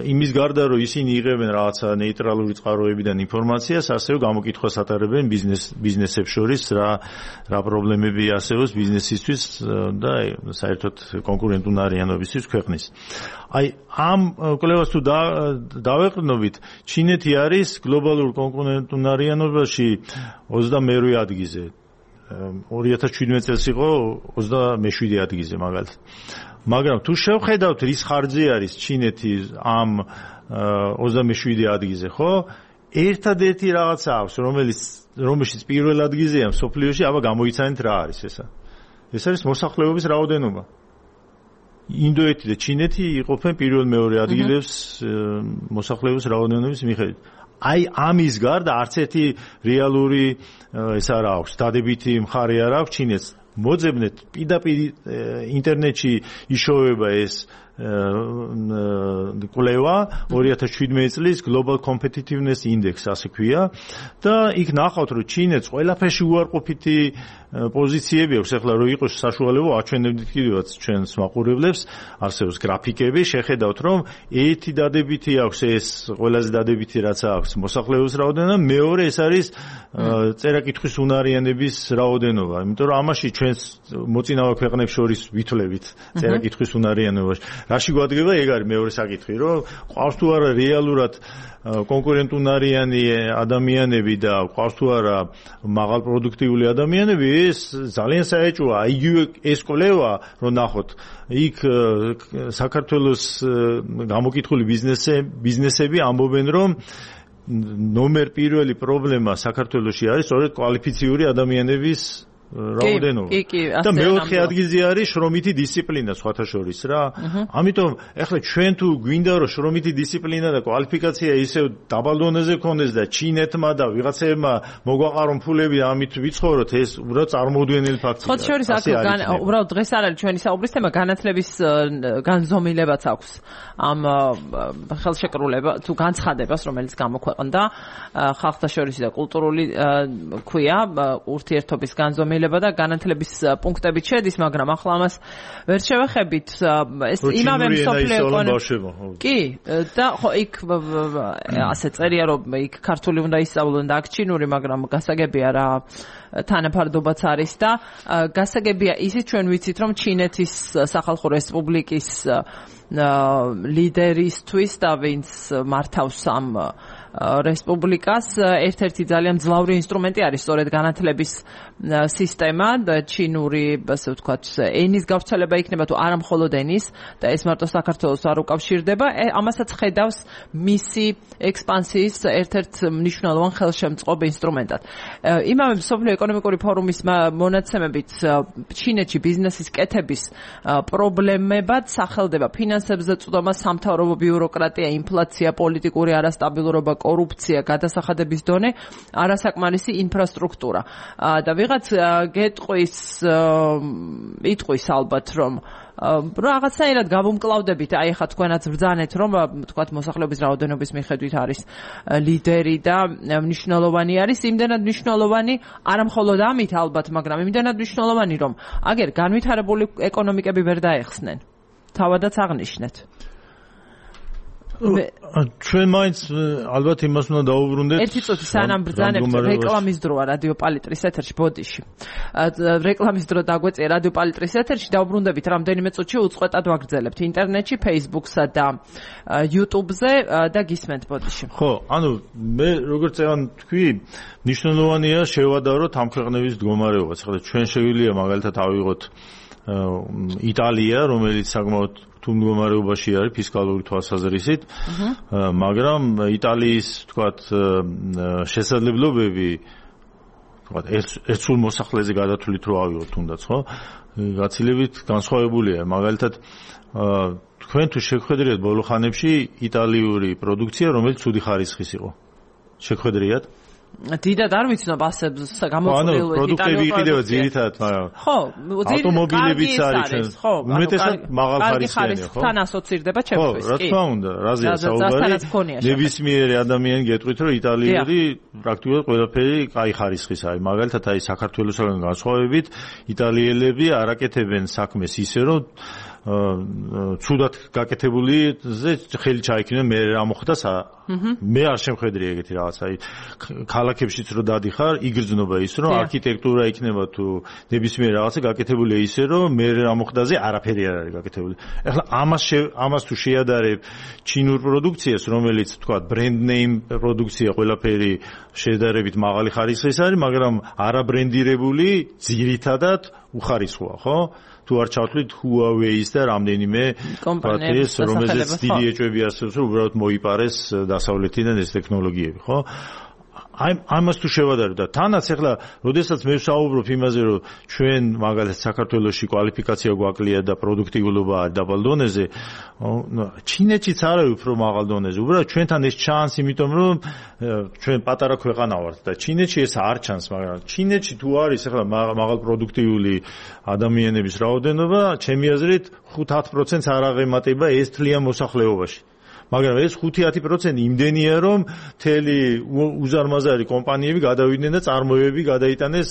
S2: იმის გარდა რომ ისინი იღებენ რაღაცა ნეიტრალური წყაროებიდან ინფორმაციას, ასევე გამოკითხვას ატარებენ ბიზნესებს შორის, რა პრობლემები არსებობს ბიზნესისთვის და საერთოდ კონკურენტუნარიანობისთვის ქვეყნის. აი ამ კვლევას თუ დავეყრდნობით, ჩინეთი არის გლობალურ კონკურენტუნარიანობაში 22 ადგილზე. 2017 წელს იყო 27 ადგილზე მაგალითად. მაგრამ თუ შევხედავთ რის ხარჯზე არის ჩინეთი ამ 27 ადგილზე, ხო? ერთადერთი რაღაცა აქვს, რომელშიც პირველ ადგილზეა მსოფლიოში, აბა გამოიცანეთ რა არის ესა. ეს არის მოსახლეობის რაოდენობა. ინდოეთი და ჩინეთი იყოფენ პირველ-მეორე ადგილებს მოსახლეობის რაოდენობის მიხედვით. აი ამის გარდა არც ერთი რეალური ეს არ აქვს, დადებითი მხარე არ აქვს ჩინეთს. მოძებნეთ პირდაპირ ინტერნეტში იშოვება ეს კვლევა 2017 წლის Global Competitiveness Index ასე ქვია და იქ ნახავთ რომ ჩინეთს ყველაფერში უარყოფითი პოზიციები აქვს. ახლა რო იყოს საშუალება აჩვენებდით კიდევაც ჩვენს მაყურებლებს, არსებობს გრაფიკები, შეხედავთ რომ ერთი დადებითი აქვს, ეს ყველაზე დადებითი რაც აქვს მოსახლეობის რაოდენობა, მეორე ეს არის წერა-კითხვის უნარიანების რაოდენობა, იმიტომ რომ ამაში ჩვენს მოწინავე ქვეყნებს შორის ვითვლებით წერა-კითხვის უნარიანობაში. რაში გვადგება ეგ არის მეორე საკითხი, რომ ყავს თუ არა რეალურად კონკურენტუნარიანი ადამიანები და ყავს თუ არა მაღალპროდუქტიული ადამიანები, ეს ძალიან საეჭვოა. იგივე ეს კვლევა რომ ნახოთ, იქ საქართველოს გამოკითხული ბიზნესები ამბობენ, რომ ნომერ პირველი პრობლემა საქართველოში არის სწორედ კვალიფიციური ადამიანების რაოდენობა. და მეოთხე ადგილზე არის შრომითი დისციპლინა სხვათა შორის რა. ამიტომ ახლა ჩვენ თუ გვინდა რომ შრომითი დისციპლინა და კვალიფიკაცია ისევ დაბალ დონეზე გქონდეს და ჩინეთმა და ვიღაცებმა მოგვაყარონ ფულები ამით ვიცხოვროთ, ეს უბრალოდ წარმოუდგენელი ფაქტია.
S1: სხვათა შორის აქ უბრალოდ დღეს არ არის ჩვენი საუბრის თემა, განათლების განზომილებაც აქვს ამ ხელშეკრულება თუ განცხადებას, რომელიც გამოქვეყნდა ხალხთა შორის და კულტურული ქვია ურთიერთობის განზომილება და განათლების პუნქტებით შედის, მაგრამ ახლა ამას ვერ შევეხებით. ეს იმავე მსოფლიო ეკონომიკა. კი, და ხო იქ ასე წერია, რომ იქ ქართული უნდა ისწავლონ და აქ ჩინური, მაგრამ გასაგებია რა თანაფარდობაც არის და გასაგებია ისიც ჩვენ ვიცით, რომ ჩინეთის სახალხო რესპუბლიკის ლიდერისთვის და ვინც მართავს ამ რესპუბლიკას ერთ-ერთი ძალიან მძლავრი ინსტრუმენტი არის სწორედ განათლების სისტემა და ჩინური, ასე ვთქვათ, ენის გავრცელება იქნება თუ არა მხოლოდ ენის და ეს მარტო საქართველოს არ უკავშირდება, ამასაც ხედავს მისი ექსპანსიის ერთ-ერთ მნიშვნელოვან ხელშემწყობ ინსტრუმენტად. იმავე მსოფლიო ეკონომიკური ფორუმის მონაცემებით ჩინეთში ბიზნესის კეთების პრობლემებად სახელდება ფინანსებზე წვდომა, სამთავრობო ბიუროკრატია, ინფლაცია, პოლიტიკური არასტაბილურობა, კორუფცია, გადასახადების დონე, არასაკმარისი ინფრასტრუქტურა. და ვიღაც იტყვის ალბათ, რომ რაღაცნაირად გავუმკლავდებით, აი ხა თქვენაც ბრძანეთ, რომ თქვათ მოსახლეობის რაოდენობის მიხედვით არის ლიდერი და მნიშვნელოვანი არის, იმდენად მნიშვნელოვანი, არა მხოლოდ ამით ალბათ, მაგრამ იმდენად მნიშვნელოვანი, რომ აგერ განვითარებული ეკონომიკები ვერ დაეხსნენ. თავადაც აღნიშნეთ.
S2: ჩვენ მაინც ალბათ იმას უნდა დაუბრუნდეთ.
S1: ერთი წუთი სანამ ბრძანებთ რეკლამის დროა რადიო პალიტრის ეთერში ბოდიში. რეკლამის დრო დაგვეწია რადიო პალიტრის ეთერში დაუბრუნდებით რამდენიმე წუთში უწყვეტად ვაგრძელებთ ინტერნეტში, Facebook-სა და YouTube-ზე და გისმენთ ბოდიში.
S2: ხო, ანუ მე როგორც წევან თქვი, მნიშვნელოვანია შევადაროთ ამ ქვეყნების მდგომარეობაც. ხოდა ჩვენ შეგვიძლია მაგალითად ავიღოთ იტალია, რომელიც საკმაოდ თუ მდგომარეობაში არის ფისკალური თვალსაზრისით, მაგრამ იტალიის თქვათ შესაძლებლობები თქვათ ერთსულ მოსახლეზე გადათვლით რო ავიღოთ თუნდაც, ხო? გაცილებით განსხვავებულია. მაგალითად თქვენ თუ შეგხვედრიათ ბოლო ხანებში იტალიური პროდუქცია, რომელიც ცუდი ხარისხის იყო. შეგხვედრიათ?
S1: დიდად არ ვიცნობ ასე გამოწვეულ
S2: პროდუქტები იყიდება ძირითადად, მაგრამ
S1: ხო,
S2: ავტომობილებიც არის,
S1: ხო,
S2: უმეტესად მაღალ ხარისხიანი, ხო?
S1: თან ასოცირდება ჩემთვის,
S2: კი. რა თქმა უნდა, რაზეა საუბარი? ნებისმიერი ადამიანი გეტყვით, რომ იტალიური პრაქტიკულად ყველაფერი კაი ხარისხის არის. მაგალითად, აი საქართველოსაგან განსხვავებით, იტალიელები არაკეთებენ საქმეს ისე, რომ ცუდად გაკეთებულიზე ხელი ჩაიქნიან, მე რა მოხდა მე არ შემხედრი ეგეთი რაღაც, აი ქალაქებშიც რო დადიხარ, იგრძნობა ის, რომ არქიტექტურა იქნება თუ ნებისმიერ რაღაცა გაკეთებულია ისე, რომ მე რა მოხდაზე არაფერი არ არის გაკეთებული. ეხლა ამას თუ შეადარებ ჩინურ პროდუქციას, რომელიც თქვა ბრენდ ნეიმ პროდუქცია, ყველაფერი შედარებით მაღალი ხარისხის არის, მაგრამ არაბრენდირებული ძირითადად უხარისხოა, ხო? თუ არ ჩავთვლით Huawei-ის და რამდენიმე კომპანიას, რომელზეც დიდი ეჭვები არსებობს, რომ უბრალოდ მოიპარეს დასავლეთიდან ეს ტექნოლოგიები, ხო? ამას თუ შევადარებ და თანაც ახლა, როდესაც მე ვსაუბრობ იმაზე, რომ ჩვენ მაგალითად საქართველოში კვალიფიკაცია გვაკლია და პროდუქტიულობა არის დაბალ დონეზე, ჩინეთშიც არის უფრო მაღალ დონეზე. უბრალოდ ჩვენთან ეს ჩანს, იმიტომ რომ ჩვენ პატარა ქვეყანა ვართ და ჩინეთში ეს არ ჩანს, მაგრამ ჩინეთში თუ არის ახლა მაღალ პროდუქტიული ადამიანების რაოდენობა, ჩემი აზრით 5-10%-ს არ აღემატება ეს თლიან მოსახლეობაში. მაგრამ ეს 5-10% იმდენია, რომ მთელი უზარმაზარი კომპანიები გადავიდნენ და წარმოებები გადაიტანეს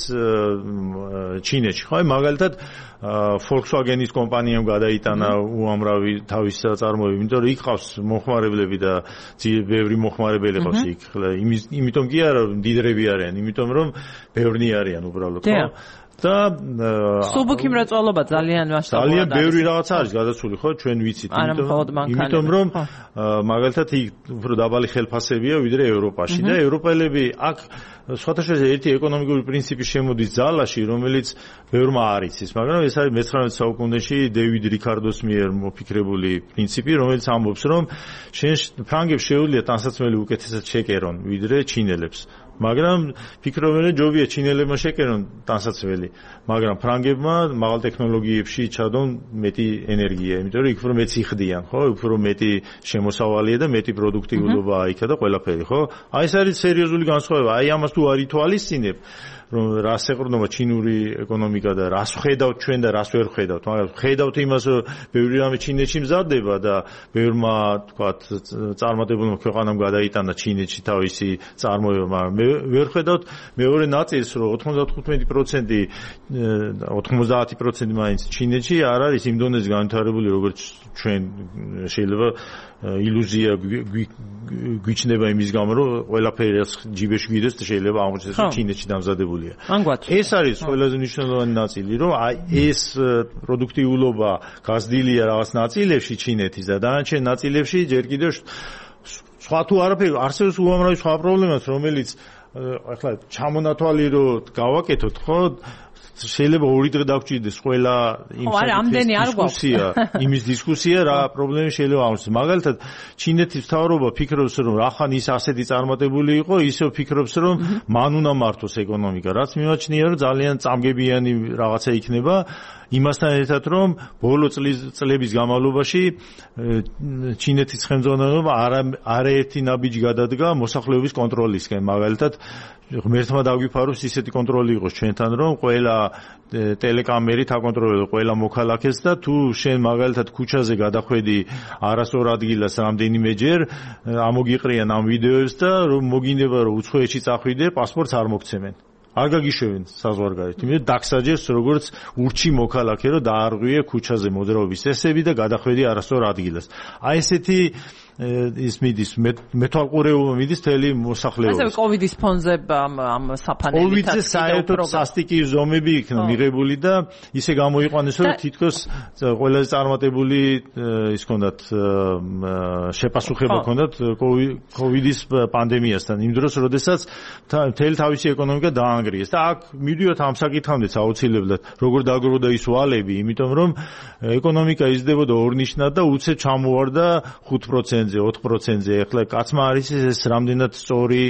S2: ჩინეთში. ხო, მაგალითად Volkswagen-ის კომპანიამ გადაიტანა უამრავი თავის წარმოებები, იმიტომ რომ იქ ყავს მოხმარებლები და ბევრი მოხმარებელი ყავს იქ. იმიტომ კი არა მდიდრები არიან, იმიტომ რომ ბევრნი არიან უბრალოდ, ხო? და
S1: სუბუქი მრეწველობა ძალიან მასშტაბურია.
S2: ძალიან ბევრი რაღაც არის გადაცული, ხო, ჩვენ ვიცით, იმიტომ რომ მაგალითად იქ უფრო დაბალი ხელფასებია ვიდრე ევროპაში და ევროპელები აქ სხვათა შორის ერთი ეკონომიკური პრინციპი შემოდის ძალაში, რომელიც ბევრმა არ იცის, მაგრამ ეს არის მე-19 საუკუნეში დევიდ რიკარდოს მიერ მოფიქრებული პრინციპი, რომელიც ამბობს, რომ ფრანგებს შეუძლია ტანსაცმელი უკეთესად შეკერონ ვიდრე ჩინელებს. მაგრამ ფიქრობენ, ჯობია ჩინელებმა შეკერონ ტანსაცმელი, მაგრამ ფრანგებმა მაღალ ტექნოლოგიებში ჩადონ მეტი ენერგია, იმიტომ რომ იქ უფრო მეც იხდიან, ხო? უფრო მეტი შემოსავალია და მეტი პროდუქტიულობაა იქა და ყველაფერი, ხო? აი ეს არის სერიოზული განსხვავება. აი ამას თუ არ ითვალისწინებ, რომ რას ეყრდნობა ჩინური ეკონომიკა და რას ხედავთ ჩვენ და რას ვერ ხედავთ. მაგრამ ხედავთ იმას, რომ ბევრი რამე ჩინეთში მზადდება და ბევრმა, თქვათ, წარმატებულმა ქვეყანამ გადაიტანა ჩინეთში თავისი წარმოება, მაგრამ ვერ ხედავთ მეორე ნაწილს, რომ 90% მაინც ჩინეთში არ არის იმ დონეზე განვითარებული, როგორც ჩვენ შეიძლება ილუზია გვიჩნდება იმის გამო, რომ ყველაფერი ჯიბეში გიდეს და შეიძლება აღმოჩნდეს, რომ ჩინეთში დამზადებულია. ეს არის ყველაზე მნიშვნელოვანი ნაწილი, რომ აი ეს პროდუქტიულობა გაზრდილია რაღაც ნაწილებში ჩინეთის და დანარჩენ ნაწილებში ჯერ კიდევ სხვა თუ არაფერი არსებობს უამრავი სხვა პრობლემაც, რომელიც ახლა ჩამონათვალი რომ გავაკეთოთ, ხო? შეიძლება ორი დღე დავჭირდეს ყველა იმის დისკუსია რა პრობლემები შეიძლება აღმოჩნდეს. მაგალითად, ჩინეთის მთავრობა ფიქრობს, რომ რახან ის ასეთი წარმატებული იყო, ისევ ფიქრობს, რომ მან უნდა მართოს ეკონომიკა. რაც მიმაჩნია, რომ ძალიან წამგებიანი რაღაცა იქნება, იმასთან ერთად, რომ ბოლო წლების განმავლობაში ჩინეთის ხელმძღვანელობა არაერთი ნაბიჯი გადადგა მოსახლეობის კონტროლისკენ. მაგალითად, ღმერთმა დაგვიფაროს ისეთი კონტროლი იყოს ჩვენთან, რომ ყველა ტელეკამერით აკონტროლებს ყველა მოქალაქეს და თუ შენ მაგალითად ქუჩაზე გადახვედი არასწორ ადგილას რამდენიმეჯერ, ამოგიყრიან ამ ვიდეოებს და რომ მოგინდება რომ უცხოეთში წახვიდე, პასპორტს არ მოგცემენ. არ გაგიშვებენ საზღვარგარეთ, იმიტომ დაგსაჯერს როგორც ურჩი მოქალაქე, რომ დაარღვიე ქუჩაზე მოძრაობის წესები და გადახვედი არასწორ ადგილას. აი ესეთი ის მიდის მეთვალყურეობა მიდის თელი მოსახლეობას.
S1: ასევე კოვიდის ფონზე ამ საფანელით
S2: კოვიდზე საერთოდ სასტიკი ზომები იქნა მიღებული და ისე გამოიყვანეს რომ თითქოს ყველაზე წარმატებული ის ჰქონდათ შეპასუხება ჰქონდათ კოვიდის პანდემიასთან იმ დროს როდესაც მთელი თავისი ეკონომიკა დაანგრიეს და აქ მივიდოთ ამ საკითხამდეც აუცილებლად როგორ დაგროვდა ის ვალები იმიტომ რომ ეკონომიკა იზრდებოდა ორნიშნად და უცებ ჩამოვარდა 5%-ზე 4%-ზე ეხლა კაცმა არის ეს რამდენად სწორი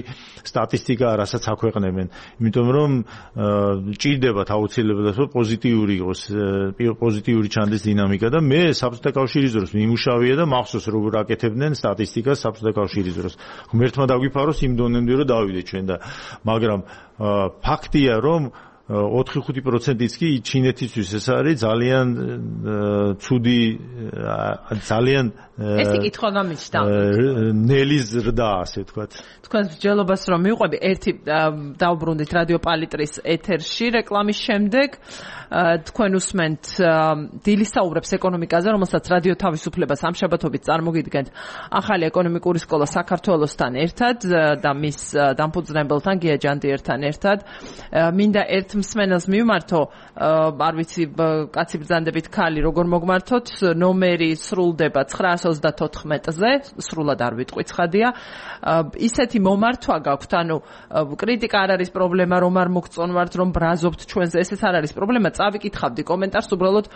S2: სტატისტიკა რასაც აქვეყნებენ იმიტომ რომ ჭირდებათ აუცილებლად რომ პოზიტიური იყოს პოზიტიური ჩანდეს დინამიკა და მე საბჭოთა კავშირის დროს მიმუშავია და მახსოვს როგორ აკეთებდნენ სტატისტიკას საბჭოთა კავშირის დროს ღმერთმა დაგვიფაროს იმ დონემდე რომ დავიდეთ ჩვენ და მაგრამ ფაქტია რომ 4-5%-იც კი ჩინეთისთვის ეს არის ძალიან ცუდი ძალიან
S1: ეს კითხვა გამიჩნდა
S2: ნელი ზრდა ასე ვთქვათ
S1: თქვენს მსჯელობას რომ მივყვები ერთი დავბრუნდით რადიო პალიტრის ეთერში რეკლამის შემდეგ თქვენ უსმენთ დილის საუბრებს ეკონომიკაზე რომელსაც რადიო თავისუფლება სამშაბათობით წარმოგიდგენთ ახალი ეკონომიკური სკოლა საქართველოსთან ერთად და მის დამფუძნებელთან გია ჯანდიერთან ერთად მინდა ერთ მსმენელს მივმართო არ ვიცი კაცი ბრძანდებით ქალი როგორ მოგმართოთ ნომერი სრულდება 924-ზე სრულად არ ვიტყვი ცხადია ისეთი მომართვა გაქვთ ანუ კრიტიკა არ არის პრობლემა რომ არ მოგწონვართ რომ ბრაზობთ ჩვენზე ესეც არ არის პრობლემა წავიკითხავდი კომენტარს უბრალოდ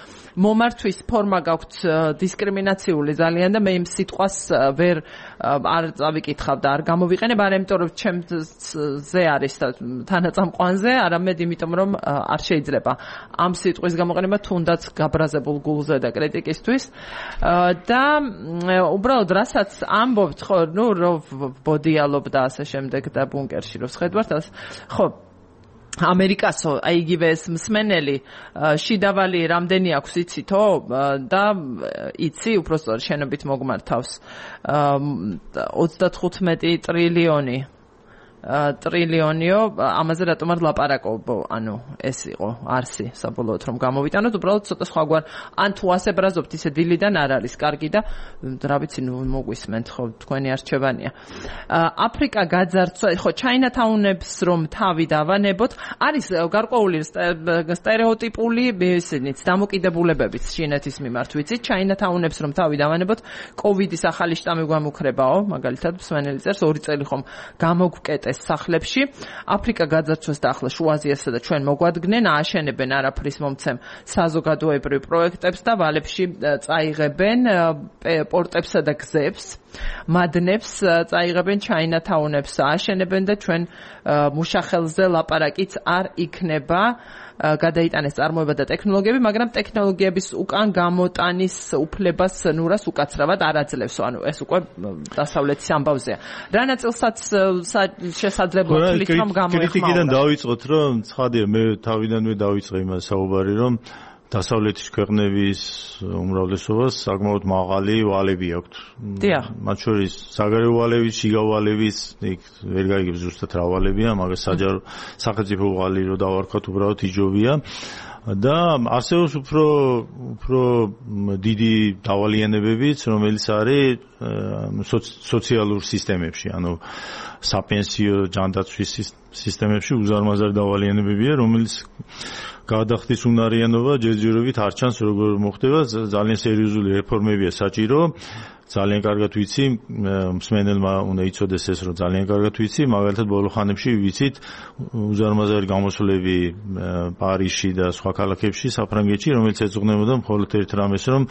S1: მომართვის ფორმა გაქვთ დისკრიმინაციული ძალიან და მე იმ სიტყვას ვერ არ წავიკითხავ და არ გამოვიყენებ არა იმიტომ რომ ჩემზე არის თანაწამყვანზე არამედ იმიტომ რომ არ შეიძლება ამ სიტყვის გამოყენება თუნდაც გაბრაზებულ გულზე და კრიტიკისთვის და უბრალოდ რასაც ამბობთ ხო ნუ რო ბოდიალობ და ასე შემდეგ და ბუნკერში რო შეხვდართ ხო ამერიკასო აი იგივე ეს მსმენელი შიდავალი რამდენი აქვს იცითო და იცი უბრალოდ შენობით მოგმართავს 35 ტრილიონიო ამაზე რატომ არ ლაპარაკობ ანუ ეს იყო არსი საბოლოოდ რომ გამოვიტანოთ უბრალოდ ცოტა სხვაგვარ ან თუ ასე ბრაზობთ ისე დილიდან არ არის კარგი და რა ვიცი ნუ მოგვისმენთ ხო თქვენი არჩევანია აფრიკა გაძარცვა ხო ჩაინათაუნებს რომ თავი დავანებოთ არის გარკვეული სტერეოტიპული ისინიც დამოკიდებულებებიც ჩინეთის მიმართ ვიცით ჩაინათაუნებს რომ თავი დავანებოთ კოვიდის ახალი შტამი გვამუქრებაო მაგალითად მსმენელი წერს 2 წელი ხომ გამოგკეტე სახლებში აფრიკა გაძარცვეს და ახლა შუა აზიასა და ჩვენ მოგვადგნენ ააშენებენ არაფრის მომცემ საზოგადოებრივ პროექტებს და ვალებში წაიღებენ პორტებსა და გზებს მადნებს წაიღებენ ჩაინათაუნებს ააშენებენ და ჩვენ მუშახელზე ლაპარაკიც არ იქნება გადაიტანეს წარმოება და ტექნოლოგიები, მაგრამ ტექნოლოგიების უკან გამოტანის უფლებას ნურას უკაცრავად არ აძლევს. ანუ ეს უკვე დასავლეთის ამბავზეა. რა ნაწილსაც შესაძლებლად თვლით რომ გამოეხმაურა.
S2: კრიტიკიდან დავიწყოთ, რომ ცხადია მე თავიდანვე დავიწყე იმას საუბარი, რომ დასავლეთის ქვეყნების უმრავლესობას საკმაოდ მაღალი ვალები აქვთ. მათ შორის საგარეო ვალების, შიგა ვალების, იქ ვერ გაიგებს ზუსტად რა ვალებია, მაგრამ საჯარო სახელმწიფო ვალი რო დავარქვათ, უბრალოდ იჯობია. და ასევე უფრო დიდი დავალიანებებიც, რომელიც არის სოციალურ სისტემებში, ანუ საპენსიო ჯანდაცვის სისტემებში უზარმაზარი დავალიანებებია, რომელიც გადახდის უნარიანობა ჯერჯერობით არ ჩანს როგორ მოხდება, ძალიან სერიოზული რეფორმებია საჭირო. ძალიან კარგად ვიცი, მსმენელმა უნდა იცოდეს ეს, რომ ძალიან კარგად ვიცი, მაგალითად ბოლო ხანებში ვიცით უზარმაზარი გამოსვლები პარიზში და სხვა ქალაქებში, საფრანგეთში, რომელიც ეძღვნებოდა მხოლოდ ერთ რამეს, რომ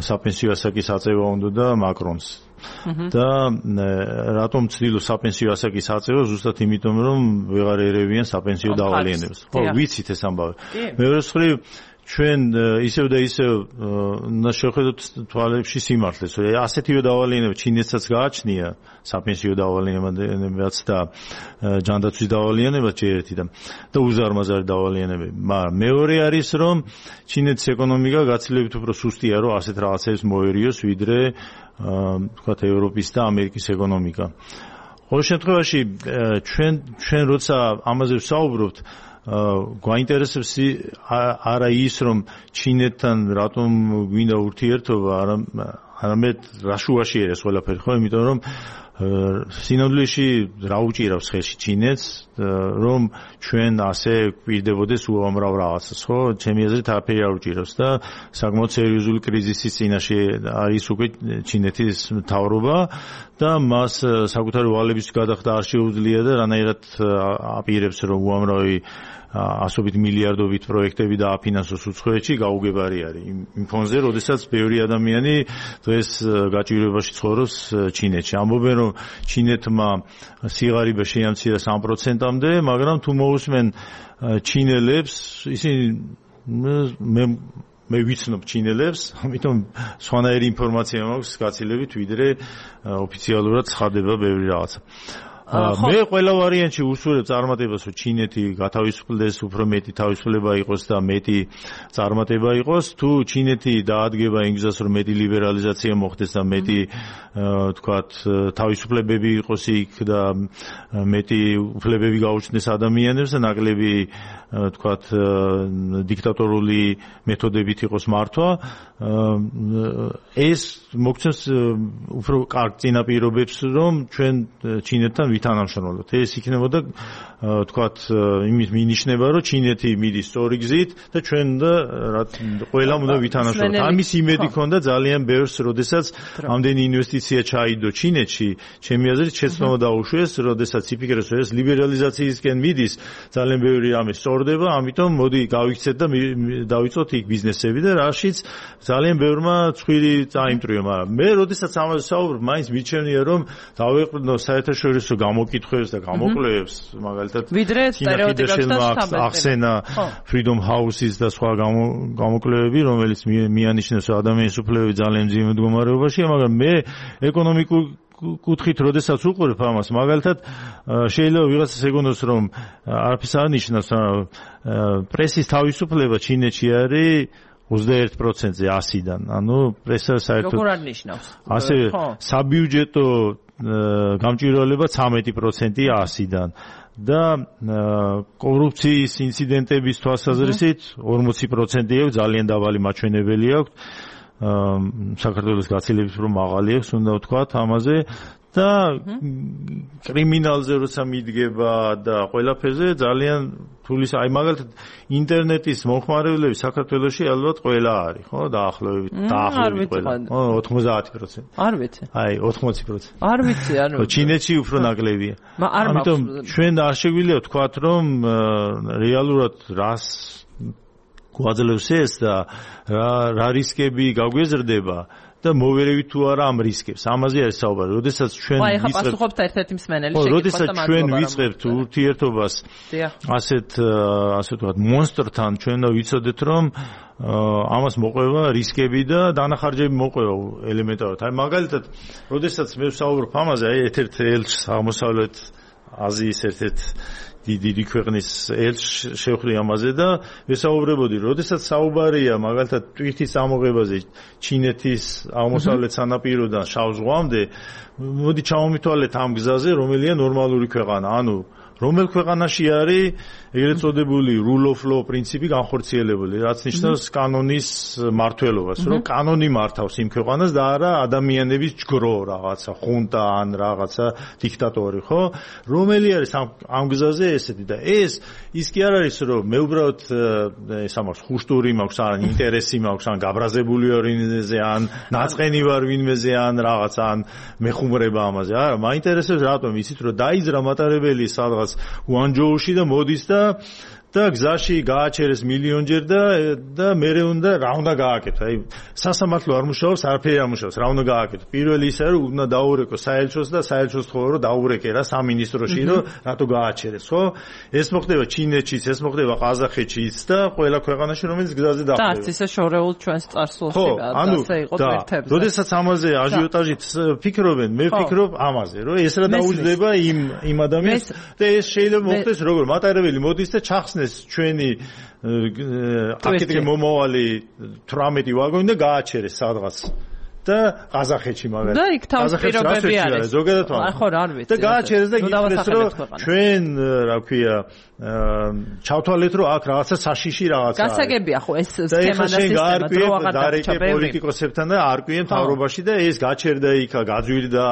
S2: საპენსიო ასაკის აწევა უნდა და მაკრონს. და რატომ ცდილობს საპენსიო ასაკის აწევა? ზუსტად იმიტომ, რომ ვეღარ ერევიან საპენსიო დავალიანებას. ხო, ვიცით ეს ამბავი. მეორე მხრივ ჩვენ ისევ და ისევ უნდა შევხედოთ თვალებში სიმართლეს. ასეთივე დავალიანება ჩინეთსაც გააჩნია საპენსიო დავალიანებაც და ჯანდაცვის დავალიანებაც ერთი და უზარმაზარი დავალიანებები. მაგრამ მეორე არის, რომ ჩინეთის ეკონომიკა გაცილებით უფრო სუსტია, რომ ასეთ რაღაცებს მოერიოს, ვიდრე თქვათ ევროპის და ამერიკის ეკონომიკა. ყოველ შემთხვევაში ჩვენ როცა ამაზე ვსაუბრობთ გვაინტერესებს არა ის რომ ჩინეთთან რატომ გვინდა ურთიერთობა, არამედ რა შუაში ერეს ყველაფერი, ხო, იმიტომ რომ სინამდვილეში რა უჭირავს ხელში ჩინეთს, რომ ჩვენ ასე გვირდებოდეს უამრავ რაღაცას, ხო? ჩემი აზრით არაფერი არ უჭირავს და საკმაოდ სერიოზული კრიზისის წინაშე არის უკვე ჩინეთის მთავრობა და მას საკუთარი ვალების გადახდა არ შეუძლია და რანაირად აპირებს რომ უამრავი ასობით მილიარდობით პროექტები დააფინანსოს უცხოეთში, გაუგებარი არის იმ ფონზე, როდესაც ბევრი ადამიანი დღეს გაჭირვებაში ცხოვრობს ჩინეთში. ამბობენ, რომ ჩინეთმა სიღარიბე შეამცირა 3%-მდე, მაგრამ თუ მოусმენ ჩინელებს, ისინი მე ვიცნობ ჩინელებს, ამიტომ სხვანაირი ინფორმაცია მაქვს გაცილებით, ვიდრე ოფიციალურად ცხადება ბევრი რაღაცა. მე ყველა ვარიანტში უსურვებ წარმატებას, რომ ჩინეთი გათავისუფლდეს, უფრო მეტი თავისუფლება იყოს და მეტი წარმატება იყოს. თუ ჩინეთი დაადგება იმ გზას, რომ მეტი ლიბერალიზაცია მოხდეს და მეტი თქვათ თავისუფლებები იყოს იქ და მეტი უფლებები გაუჩნდეს ადამიანებს და ნაკლები თქვათ დიქტატორული მეთოდებით იყოს მართვა, ეს მოგცემს უფრო კარგ წინაპირობებს, რომ ჩვენ ჩინეთთან ვითანამშრომლოთ. ეს იქნებოდა თქვათ იმის მინიშნება, რომ ჩინეთი მიდის სწორი გზით და ჩვენ და ყველამ უნდა ვითანამშრომლოთ. ამის იმედი ქონდა ძალიან ბევრს, როდესაც ამდენი ინვესტიცია ჩაიდო ჩინეთში, ჩემი აზრით შეცდომა დაუშვეს, როდესაც იფიქრეს, რომ ეს ლიბერალიზაციისკენ მიდის, ძალიან ბევრი რამე სწორდება, ამიტომ მოდი გავიქცეთ და დავიწყოთ იქ ბიზნესები და რაშიც ძალიან ბევრმა ცხვირი წაიმტრიო, მაგრამ მე როდესაც ამაზე საუბრობ, მაინც მიჩვენია, რომ დავეყრდნო საერთაშორისო გამოკითხვებს და გამოკვლევებს, მაგალითად
S1: ვიდრე სტერეოტიპებსაც
S2: ახსენა Freedom House-ის და სხვა გამოკვლევები, რომელიც მიანიშნებს ადამიანის უფლებები ძალიან მძიმე მდგომარეობაშია, მაგრამ მე ეკონომიკურ კუთხით როდესაც უყურებ ამას, მაგალითად შეიძლება ვიღაცას ეგონოს, რომ არაფერს არ ნიშნავს, პრესის თავისუფლება ჩინეთში არის 21%-ზე 100-დან. ანუ პრესა საერთოდ
S1: როგორ არ ნიშნავს?
S2: ასე საბიუჯეტო გამჭვირვალება 13% 100-დან. და კორუფციის ინციდენტების თვალსაზრისით 40% აქვს, ძალიან დაბალი მაჩვენებელი აქვს. საქართველოს გაცილებით რომ მაღალი აქვს, უნდა ვთქვათ ამაზე და კრიმინალზე როცა მიდგება და ყველაფერზე ძალიან თulis აი მაგალითად ინტერნეტის მომხმარებლები საქართველოში ალბათ ყველა არის, ხო? დაახლოებით ყველა. 90%.
S1: არ ვიცი.
S2: აი 80%.
S1: არ ვიცი, ანუ
S2: ჩინეთში უფრო ნაკლებია. ამიტომ ჩვენ არ შეგვიძლია ვთქვათ, რომ რეალურად რას გვაძლევს ეს და რა რისკები გაგვეზრდება და მოვერევით თუ არა ამ რისკებს. ამაზე არის საუბარი. როდესაც ჩვენ
S1: ვიწყებთ პასუხობთ ერთ-ერთი მსმენელი შეკითხვას და
S2: როდესაც ჩვენ ვიწყებთ ურთიერთობას ასეთ ვთქვათ მონსტრთან, ჩვენ და ვიცოდეთ, რომ ამას მოყვება რისკები და დანახარჯები მოყვება ელემენტარულად. აი მაგალითად, როდესაც მე ვსაუბრობ ამაზე, აი ერთ-ერთ ელჩს აღმოსავლეთ აზიის ერთ-ერთ დიდი ქვეყნის ელჩს შევხვდი ამაზე და ვესაუბრებოდი, როდესაც საუბარია მაგალითად ტვირთის ამოღებაზე ჩინეთის აღმოსავლეთ სანაპიროდან შავ ზღვამდე, მოდი ჩავმითვალეთ ამ გზაზე, რომელია ნორმალური ქვეყანა, ანუ რომელ ქვეყანაში არის ეგრეთ წოდებული rule of law პრინციპი განხორციელებული, რაც ნიშნავს კანონის მართლობას, რომ კანონი მართავს იმ ქვეყანას და არა ადამიანების ჯგრო რაღაცა, ხუნტა ან რაღაცა დიქტატორი, ხო? რომელი არის ამ გზაზე ესეთი და ის კი არ არის, რომ მე უბრალოდ ეს ამას ხუშტური მაქვს, ან ინტერესი მაქვს, ან გაბრაზებული ვარ ვინმეზე, ან ნაწყენი ვარ ვინმეზე, ან რაღაცა, ან მეხუმრება ამაზე. არა, მაინტერესებს რატომ იცით, რომ დაიძრა მატარებელი სადღაც უანჯოუში და მოდის და გზაში გააჩერეს მილიონჯერ და მერე უნდა რა უნდა გააკეთო. აი სასამართლო არ მუშაობს, არაფერი არ მუშაობს, რა უნდა გააკეთო. პირველი ისაა, რომ უნდა დაურეკო საელჩოს და საელჩოს თხოვო, რომ დაურეკე რა სამინისტროში, რომ რატო გააჩერეს, ხო? ეს მოხდება ჩინეთშიც, ეს მოხდება ყაზახეთშიც და ყველა ქვეყანაში, რომელიც გზაზე დახვდება.
S1: და არც ისე შორეულ ჩვენს წარსულში ასე იყო თერთებზე.
S2: როდესაც ამაზე აჟიოტაჟით ფიქრობენ, მე ვფიქრობ ამაზე, რომ ეს რა დაუჯდება იმ ადამიანს და ეს შეიძლება მოხდეს როგორ მატარებელი მოდის და ჩახსნეს ჩვენი აკეთე მომავალი 18 ვაგონი და გააჩერეს სადღაც და ყაზახეთში მაგალითად.
S1: და იქ თავის პირობები არის.
S2: ზოგადად
S1: ხო, რა ვიცი.
S2: და გააჩერეს და ითქვეს რომ ჩვენ რა ქვია ჩავთვალეთ რომ აქ რაღაცა საშიში რაღაცა.
S1: გასაგებია ხო ეს სქემა და სისტემა დრო აღარ
S2: დარჩა პოლიტიკოსებთან და არკვიენ მთავრობაში და ეს გაჩერდა იქა გაძვირდა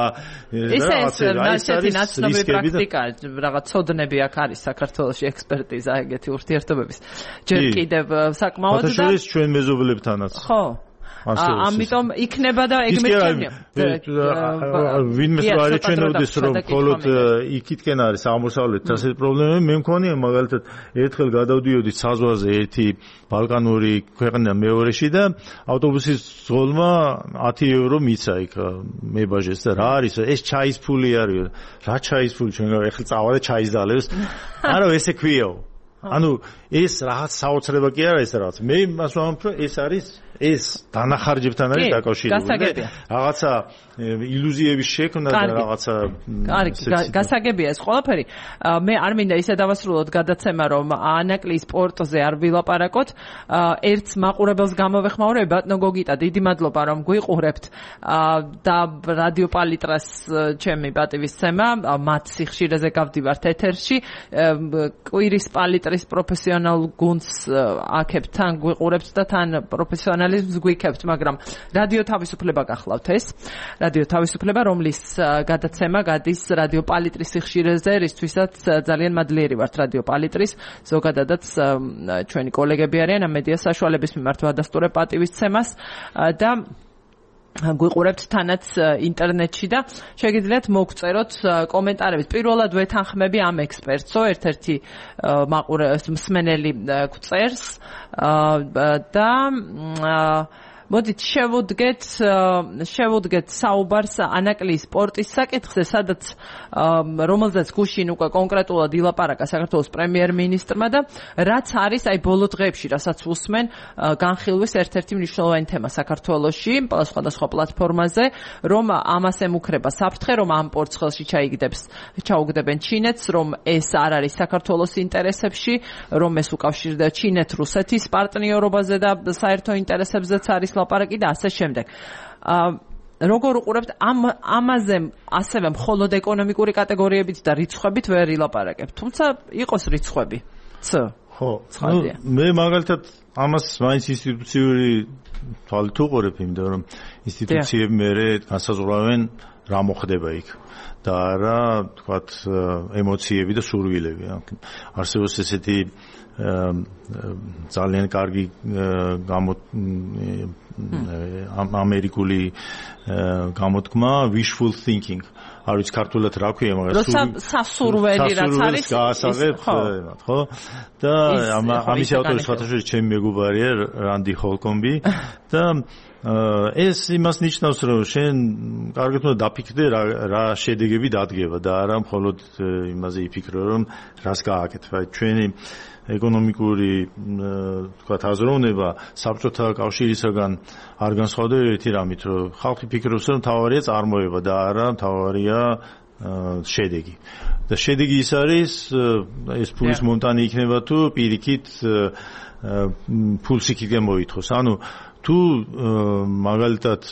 S1: რაღაცა ეს ნაცნობი პრაქტიკა რაღაც ცოდნები აქ არის საქართველოში ექსპერტიზა ეგეთი ურთიერთობების ჯერ კიდევ საკმაოდ და
S2: ჩვენ მეზობლებთანაც
S1: ხო ამიტომ იქნება და ეგ მეჩვენია.
S2: ვინმე არ ეჩვენოდეს რომ მხოლოდ იქითკენ არის აღმოსავლეთით ასეთი პრობლემები, მე მქონია მაგალითად ერთხელ გადავდიოდი საზღვარზე ერთი ბალკანური ქვეყნა მეორეში და ავტობუსის ზღოლმა 10 евро მიცა იქ მებაჟეს და რა არის ეს ჩაის ფული არის რა ჩაის ფული ჩვენ ეხლა წავა და ჩაის დალევს არა ესე ქვიაო ანუ ეს რაღაც საოცრება კი არა ეს რაღაც მე მას ვამბობ რომ ეს არის ეს დანახარჯებთან არის დაკავშირებული რაღაცა ილუზიების შექმნა და რაღაცა
S1: გასაგებია ეს ყველაფერი მე არ მინდა ისე დავასრულოთ გადაცემა რომ ანაკლის სპორტზე არ ვილაპარაკოთ ერთ მაყურებელს გამოვეხმაურებ ბატონო გოგიტა დიდი მადლობა რომ გვიყურებთ და რადიო პალიტრას ჩემი პატივისცემა მათ სიხშირეზე გავდივართ ეთერში კვირის პალიტრის პროფესიონალ გუნდს აქებთ თან გვიყურებთ და თან პროფესიონალიზმს გვიქებთ მაგრამ რადიო თავისუფლება გახლავთ ეს რადიო თავისუფლება რომლის გადაცემა გადის რადიო პალიტრის სიხშირეზე რისთვისაც ძალიან მადლიერი ვართ რადიო პალიტრის ზოგადადაც ჩვენი კოლეგები არიან ამ მედია საშუალების მიმართ ვადასტურებ პატივისცემას და გვიყურებთ თანაც ინტერნეტში და შეგიძლიათ მოგწეროთ კომენტარებით. პირველად ვეთანხმები ამ ექსპერტსო, ერთ-ერთი მსმენელი გვწერს და მოდით შევუდგეთ საუბარს ანაკლის სპორტის საკითხზე, სადაც რომელზეც გუშინ უკვე კონკრეტულად ილაპარაკა საქართველოს პრემიერ-მინისტრმა და რაც არის აი ბოლო დღეებში, რასაც უსმენ განხილვის ერთ-ერთი მნიშვნელოვანი თემა საქართველოში, სხვადასხვა პლატფორმაზე, რომ ამას ემუქრება საფრთხე, რომ ამ პორცხელში ჩაუგდებენ ჩინეთს, რომ ეს არ არის საქართველოს ინტერესებში, რომ ეს უკავშირდება ჩინეთ-რუსეთის პარტნიორობაზე და საერთო ინტერესებზეც არის ლაპარაკი და ასე შემდეგ. როგორ უყურებთ ამაზე ასევე მხოლოდ ეკონომიკური კატეგორიებით და რიცხვებით ვერ ილაპარაკებთ. თუმცა იყოს რიცხვები.
S2: ხო, მე მაგალითად ამას მაინც ინსტიტუციური თვალით უყურებ, იმიტომ რომ ინსტიტუციები მერე განსაზღვრავენ რა მოხდება იქ და რა თქვათ ემოციები და სურვილები. არსებობს ესეთი ძალიან კარგი ამერიკული გამოთქმა wishful thinking. არ ვიცი ქართულად რა ქვია,
S1: მაგრამ სასურველი რაც არის
S2: გაასაღებ, ხო? და ამის ავტორი სხვათაშორის ჩემი მეგობარია რანდი ჰოლკომბი და ეს იმას ნიშნავს, რომ შენ კარგად უნდა დაფიქრდე რა შედეგები დადგება და არა მხოლოდ იმაზე იფიქრო, რომ რას გააკეთებ. ჩვენი ეკონომიკური თქვათ აზროვნება საბჭოთა კავშირისაგან არ განსხვავდება ერთი რამით, რომ ხალხი ფიქრობს, რომ თავარია წარმოება და არა თავარია შედეგი. და შედეგი ის არის ეს ფულის მონტანი იქნება თუ პირიქით ფულს იქიდან მოითხოვს. ანუ თუ მაგალითად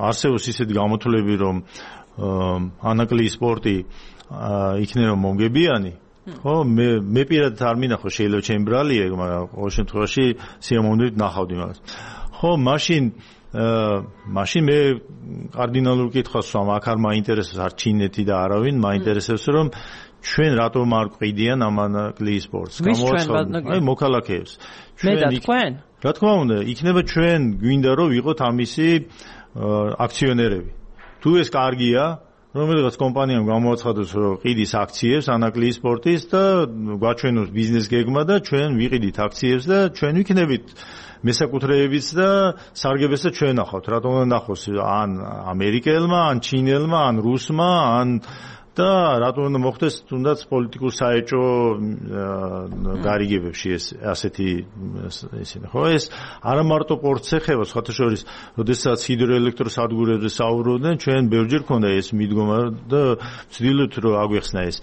S2: არსებობს ისეთი გამოთვლები, რომ ანაკლის სპორტი იქნება მომგებიანი ხო მე პირადად არ მინახო შეიძლება ჩემი ბრალია მაგრამ ყოველ შემთხვევაში სიამოვნებით ნახავდი მაგას ხო მაშინ მე კარდინალურ კითხვას ვამ აქ არ მაინტერესებს არ ჩინეთი და არავინ მაინტერესებს რომ ჩვენ რატომ არ ყიდიან ამ ანაკლის სპორტს
S1: გამოაცხადოთ
S2: აი მოქალაქეებს
S1: მე და თქვენ
S2: რა თქმა უნდა იქნება ჩვენ გვინდა რომ ვიყოთ ამისი აქციონერები თუ ეს კარგია რომელიღაც კომპანიამ გამოაცხადოს რომ ყიდის აქციებს ანაკლის სპორტის და გვაჩვენოს ბიზნეს გეგმა და ჩვენ ვიყიდით აქციებს და ჩვენ ვიქნებით მესაკუთრეებიც და სარგებელს და ჩვენ ნახავთ რატომ უნდა ნახოს ან ამერიკელმა ან ჩინელმა ან რუსმა ან და რატომ უნდა მოხდეს თუნდაც პოლიტიკურ საეჭო გარიგებებში ეს ასეთი ისინი ხო ეს არა მარტო პორტს ეხება სხვათა შორის როდესაც ჰიდროელექტროსადგურებზე საუბრობდნენ ჩვენ ბევრჯერ ქონდა ეს მიდგომა და ვცდილობთ რომ აგვეხსნა ეს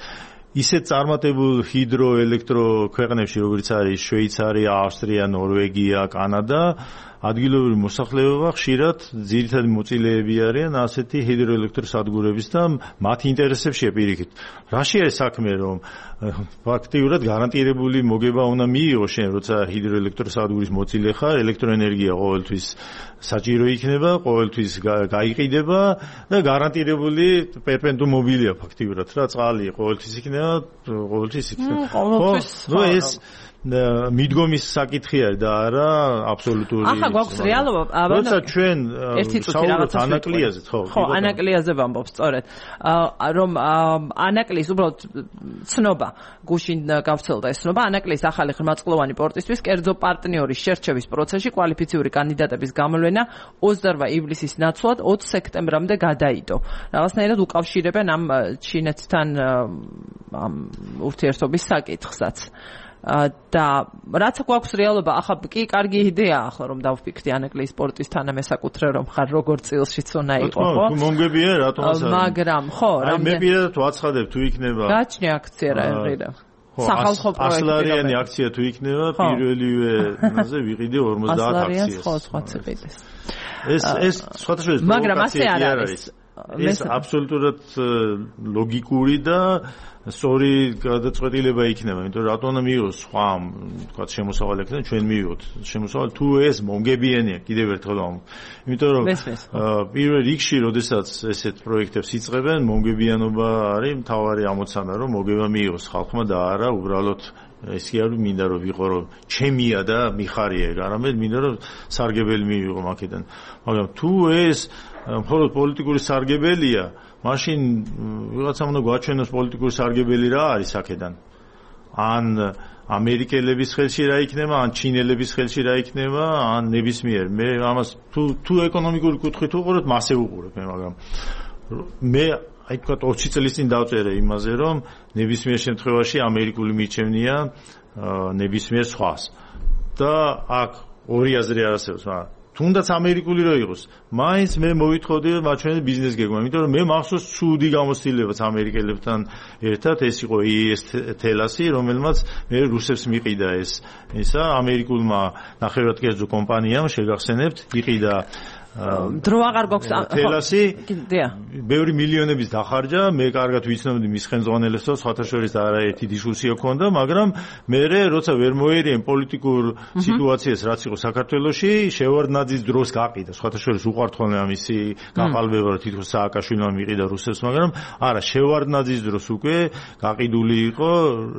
S2: ისეთ წარმატებულ ჰიდროელექტრო ქვეყნებში როგორც არის შვეიცარია, ავსტრია, ნორვეგია, კანადა ადგილობრივი მოსახლეობა ხშირად ძირითადი მოწილეები არიან ასეთი ჰიდროელექტროსადგურების და მათი ინტერესებშია პირიქით. რაში არის საქმე, რომ ფაქტიურად გარანტირებული მოგება უნდა მიიღო შენ, როცა ჰიდროელექტროსადგურის მოწილე ხარ, ელექტროენერგია ყოველთვის საჭირო იქნება, ყოველთვის გაიყიდება და გარანტირებული პერპენდუ მობილია ფაქტიურად რა, წყალი ყოველთვის იქნება, ყოველთვის იქნება. ხო, ეს მიდგომის საკითხი არის და არა აბსოლუტური.
S1: ახლა გვაქვს რეალობა,
S2: როცა ჩვენ საუბრობთ ანაკლიაზე,
S1: ხო, ანაკლიაზე ვამბობ სწორედ. რომ ანაკლის უბრალოდ ცნობა გუშინ გავრცელდა ეს ცნობა, ანაკლის ახალი ღრმაწყლოვანი პორტისთვის კერძო პარტნიორის შერჩევის პროცესში კვალიფიციური კანდიდატების გამოვლენა 28 ივლისის ნაცვლად 20 სექტემბრამდე გადაიდო. რაღაცნაირად უკავშირებენ ამ ჩინეთთან ამ ურთიერთობის საკითხსაც. და რაც გვაქვს რეალობა, ახლა კი კარგი იდეაა ახლა რომ დავფიქრდი ანაკლის სპორტის თანამესაკუთრე რომ ხარ როგორ წილშიც უნდა იყო, ხო?
S2: მომგებია რატომაც არის.
S1: მაგრამ ხო,
S2: მე პირადად ვაცხადებ თუ იქნება.
S1: გაჩნია აქცია რა ღირა. სახალხო პროექტი.
S2: ასლარიანი აქცია თუ იქნება, პირველივეზე ვიყიდე 50 აქციას.
S1: ხო, სხვა ციყიდეს.
S2: ეს სხვადასხვა
S1: მაგრამ ასე არ არის.
S2: ეს აბსოლუტურად ლოგიკური და სწორი გადაწყვეტილება იქნება, იმიტომ რომ რატომ უნდა მიიღოს სხვა, თქვა შემოსავალი აქ და ჩვენ მივიღოთ შემოსავალი თუ ეს მომგებიანია, კიდევ ერთხელ ვამბობ. იმიტომ რომ პირველ რიგში, როდესაც ესეთ პროექტებს იწყებენ, მომგებიანობა არის მთავარი ამოცანა, რომ მოგება მიიღოს ხალხმა და არა უბრალოდ ეს კი არ მინდა რომ ვიყო რომ ჩემია და მიხარია, არამედ მინდა რომ სარგებელი მივიღო აქედან. მაგრამ თუ ეს მხოლოდ პოლიტიკური სარგებელია, მაშინ ვიღაცამ უნდა გვაჩვენოს პოლიტიკური სარგებელი რა არის აქედან. ან ამერიკელების ხელში რა იქნება, ან ჩინელების ხელში რა იქნება, ან ნებისმიერ. მე ამას თუ ეკონომიკური კუთხით უყურებ, მასე უყურებ მე, მაგრამ მე აი თქვა 20 წლის წინ დავწერე იმაზე, რომ ნებისმიერ შემთხვევაში ამერიკული მიჩემნია ნებისმიერ სხვას. და აქ ორი აზრი არ არსებობს, მაგრამ თუნდაც ამერიკული რო იყოს, მაინც მე მოვითხოვდი რომ მაჩვენე ბიზნეს გეგმა, იმიტომ რომ მე მახსოვს ცუდი გამოცდილებაც ამერიკელებთან ერთად, ეს იყო ES თელასი, რომელმაც მე რუსებს მიყიდა ესა ამერიკულმა ნახევრადკერძო კომპანიამ შეგახსენებთ, იყიდა
S1: დრო აღარ გვაქვს
S2: თელასი ბევრი მილიონების დახარჯა, მე კარგად ვიცნობდი მის ხელმძღვანელებს და სხვათა შორის არაერთი დისკუსია ჰქონდა, მაგრამ მე როცა ვერ მოერიან პოლიტიკურ სიტუაციას რაც იყო საქართველოში, შევარდნაძის დროს გაყიდა, სხვათა შორის უყვართ ხოლმე ამისი გაყალბება, რომ თითქოს სააკაშვილმა მიყიდა რუსებს, მაგრამ არა, შევარდნაძის დროს უკვე გაყიდული იყო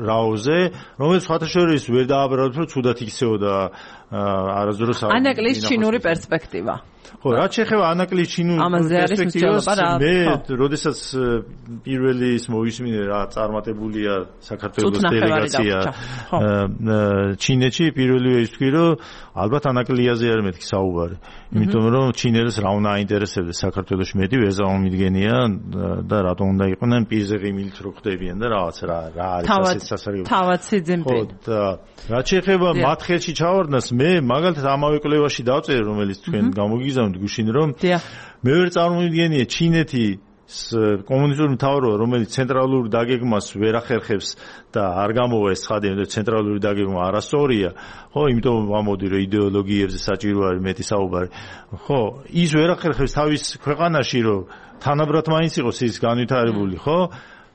S2: რაოზე, რომელიც სხვათა შორის ვერ დააბრალებს, რომ ცუდად იქცეოდა არასდროს
S1: ანაკლის ჩინური პერსპექტივა.
S2: ხო, რაც შეეხება ანაკლის ჩინურ პერსპექტივას, მე როდესაც პირველი ის მოვისმინე რა წარმატებულია საქართველოს დელეგაცია ჩინეთში, პირველივე ის თქვი, რომ ალბათ ანაკლიაზე არ მეთქი საუბარი. იმიტომ რომ ჩინელს რა უნდა აინტერესებდეს საქართველოში მეტი ვერ წარმომიდგენია და რატომ უნდა იყვნენ პირზე ღიმილით რო ხდებიან და რაღაც რა არის ასეთ სასარგებლო.
S1: თავად სიძინპინი.
S2: და რაც შეეხება მათ ხელში ჩავარდნას, მე მაგალითად ამავე კვლევაში დავწერე, რომელიც თქვენ გამოგიგზავნით გუშინ, რომ მე ვერ წარმომიდგენია ჩინეთი კომუნისტური მთავრობა, რომელიც ცენტრალურ დაგეგმას ვერ ახერხებს და არ გამოვა ეს ცხადი, რომ ცენტრალური დაგეგმა არასწორია, ხო, იმიტომ ვამბობდი, რომ იდეოლოგიებზე საჭირო არის მეტი საუბარი. ხო, ის ვერ ახერხებს თავის ქვეყანაში, რომ თანაბრად მაინც იყოს ის განვითარებული, ხო?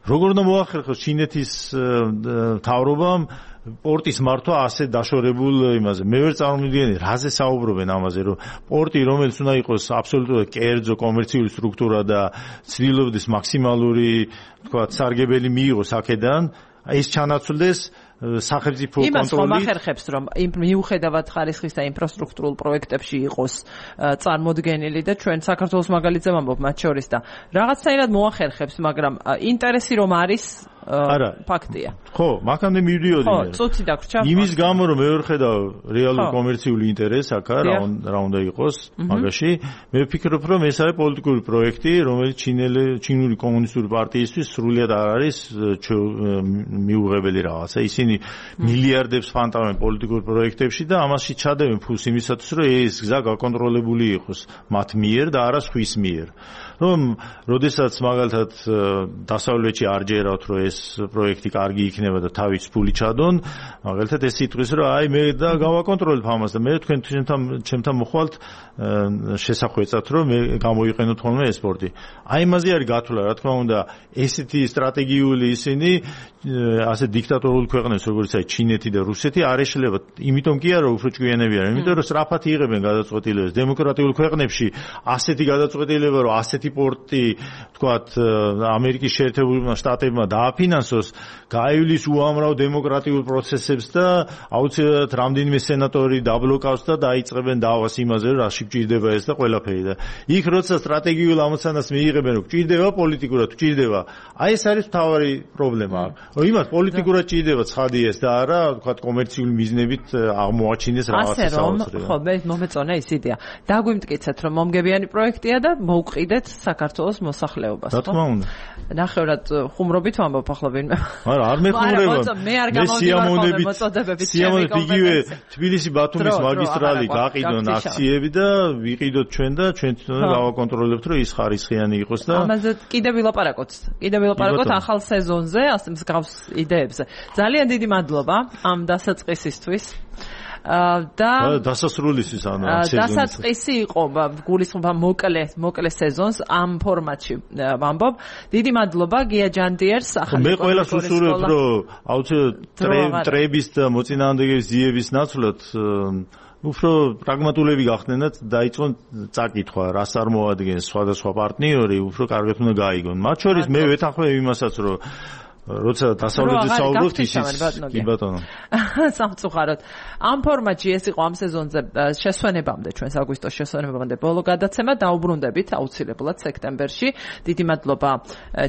S2: როგორ უნდა მოახერხოს ჩინეთის მთავრობამ პორტის მართვა ასე დაშორებულ იმაზე. მე ვერ წარმოვიდგენია, რაზე საუბრობენ ამაზე, რომ პორტი, რომელიც უნდა იყოს აბსოლუტურად კერძო კომერციული სტრუქტურა და ცდილობდეს მაქსიმალური, თქვა, სარგებელი მიიღოს აქედან, ის ჩანაცვლდეს სახელმწიფო კონტროლით.
S1: იმას ხომ ახერხებს, რომ მიუხედავად ხარისხის და ინფრასტრუქტურულ პროექტებში იყოს წარმოდგენილი და ჩვენ საქართველოს მაგალითზე ვამბობ მათ შორის და რაღაცნაირად მოახერხებს, მაგრამ ინტერესი რომ არის ფაქტია.
S2: ხო, მაგამდე მივდიოდი მე.
S1: ხო, წუთი დაგვრჩა.
S2: იმის გამო რომ მე ვერ ხედავ რეალურ კომერციული ინტერესს აქ რა უნდა იყოს მაგაში, მე ვფიქრობ რომ ეს არის პოლიტიკური პროექტი, რომელიც ჩინური კომუნისტური პარტიისთვის სრულიად არ არის მიუღებელი რაღაცა. ისინი მილიარდებს ფანტავენ პოლიტიკურ პროექტებში და ამაში ჩადევენ ფულს იმისათვის, რომ ეს გზა გაკონტროლებული იყოს მათ მიერ და არა სხვის მიერ. რომ როდესაც მაგალითად დასავლეთში არ ჯერავთ, რომ ეს პროექტი კარგი იქნება და თავის ფული ჩადონ, მაგალითად ეს იტყვის, რომ აი მე და გავაკონტროლებ ამას და მე თქვენ ჩემთან მოხვალთ შესახვეწად, რომ მე გამოიყენოთ ხოლმე ეს სპორტი. აი იმაზე არის გათვლა, რა თქმა უნდა, ესეთი სტრატეგიული ისინი ასე დიქტატორული ქვეყნებს, როგორც აი ჩინეთი და რუსეთი არ ეშლება. იმიტომ კი არა, უფრო ჭკვიანები არიან, იმიტომ რომ სწრაფად იღებენ გადაწყვეტილებას. დემოკრატიულ ქვეყნებში ასეთი გადაწყვეტილება, რომ ასეთი პორტი, თქვათ, ამერიკის შეერთებულმა შტატებმა დააფინანსოს, გაივლის უამრავ დემოკრატიულ პროცესებს და აუცილებლად რამდენიმე სენატორი დაბლოკავს და დაიწყებენ დავას იმაზე, რომ რაში გჭირდება ეს და ყველაფერი და იქ როცა სტრატეგიულ ამოცანას მიიღებენ, რომ გჭირდება პოლიტიკურად, გჭირდება. აი ეს არის მთავარი პრობლემა. რომ იმას პოლიტიკურად ჭირდება ცხადი ეს და არა, თქვათ, კომერციული მიზნებით აღმოაჩინეს რაღაცა საოცრია.
S1: ხო, მე მომეწონა ის იდეა. დაგვიმტკიცეთ, რომ მომგებიანი პროექტია და მოვყიდეთ საქართველოს მოსახლეობას,
S2: ხო? რა თქმა უნდა.
S1: ნახევრად ხუმრობით ვამბობ ახლა ვინმე.
S2: არა, არ მეხუმრება.
S1: მე არ გამოვიდივარ მოწოდებებით.
S2: სიამოვნებით იგივე თბილისი-ბათუმის მაგისტრალი გაყიდონ აქციები და ვიყიდოთ ჩვენ და ჩვენ თვითონ გავაკონტროლებთ, რომ ის ხარისხიანი იყოს და
S1: ამაზე კიდევ ვილაპარაკოთ. ახალ სეზონზე, ასე მსგავს იდეებზე. ძალიან დიდი მადლობა ამ დასაწყისისთვის. და
S2: დასასრულისთვის ანუ
S1: დასაწყისი იყო გულისხმობა მოკლე სეზონს ამ ფორმატში ვამბობ. დიდი მადლობა გია ჯანდიერს ახალი
S2: მე ყველას უსურვებ რომ აუცილებლად ტრების და მოწინააღმდეგეების ძიების ნაცვლად უფრო პრაგმატულები გახდნენ და დაიწყონ წაკითხვა, რას არ მოადგენს სხვადასხვა პარტნიორი, უფრო კარგად უნდა გაიგონ. მათ შორის მე ვეთანხმებ იმასაც, რომ როცა დასავლეთით საუბრობთ ისიც კი ბატონო.
S1: სამწუხაროდ. ამ ფორმატში ეს იყო ამ სეზონზე შესვენებამდე, ჩვენს აგვისტოს შესვენებამდე ბოლო გადაცემა დაუბრუნდებით აუცილებლად სექტემბერში. დიდი მადლობა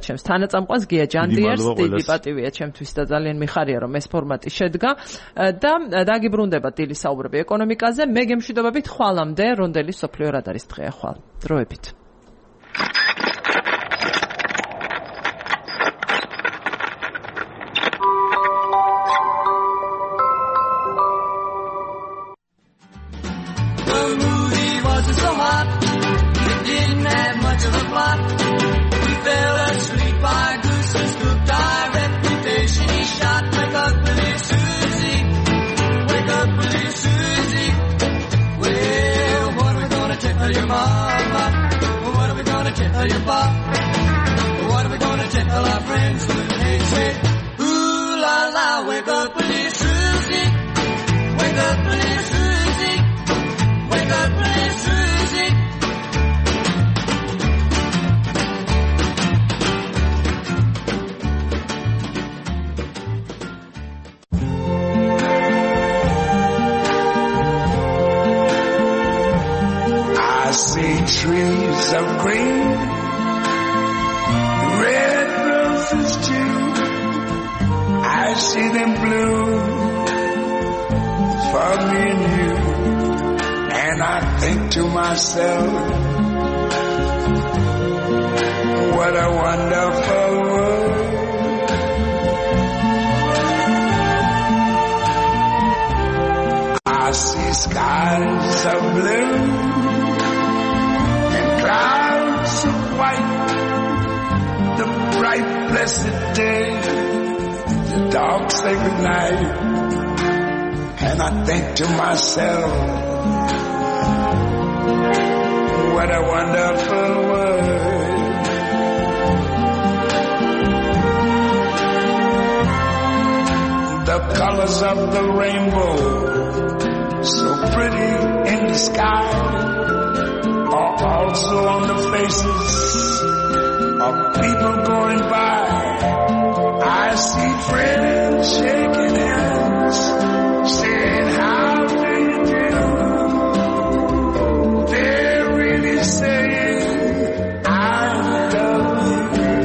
S1: ჩემს თანაწამყვანს გია ჯანდიერს, დიდი პატივია ჩემთვის და ძალიან მიხარია რომ ეს ფორმატი შედგა და დაგიბრუნდება დილის საუბრები ეკონომიკაზე. მე გემშვიდობებით ხვალამდე, რონდელი სოფლიო რადარის დღეა ხვალ. დროებით.
S3: What are we gonna tell our friends when they say, ooh la la, wake up, please, Susie. Wake up, please, Susie. Wake up, please, Susie.
S4: I see trees of green, red roses too. I see them bloom for me and you. And I think to myself, what a wonderful world. I see skies of blue, clouds of white, the bright blessed day, the dark sacred night, and I think to myself, what a wonderful world. The colors of the rainbow, so pretty in the sky, are also on the faces of people going by. I see friends shaking hands, saying how do you do. They're really saying I love you.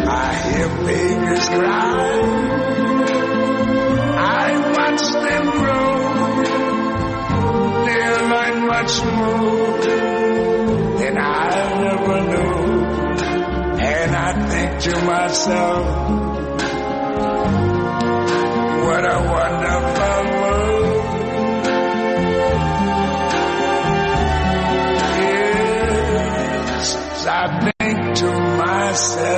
S4: I hear babies cry, I watch them grow. They'll learn much more than I never knew. And I think to myself, what a wonderful world. Yes, I myself.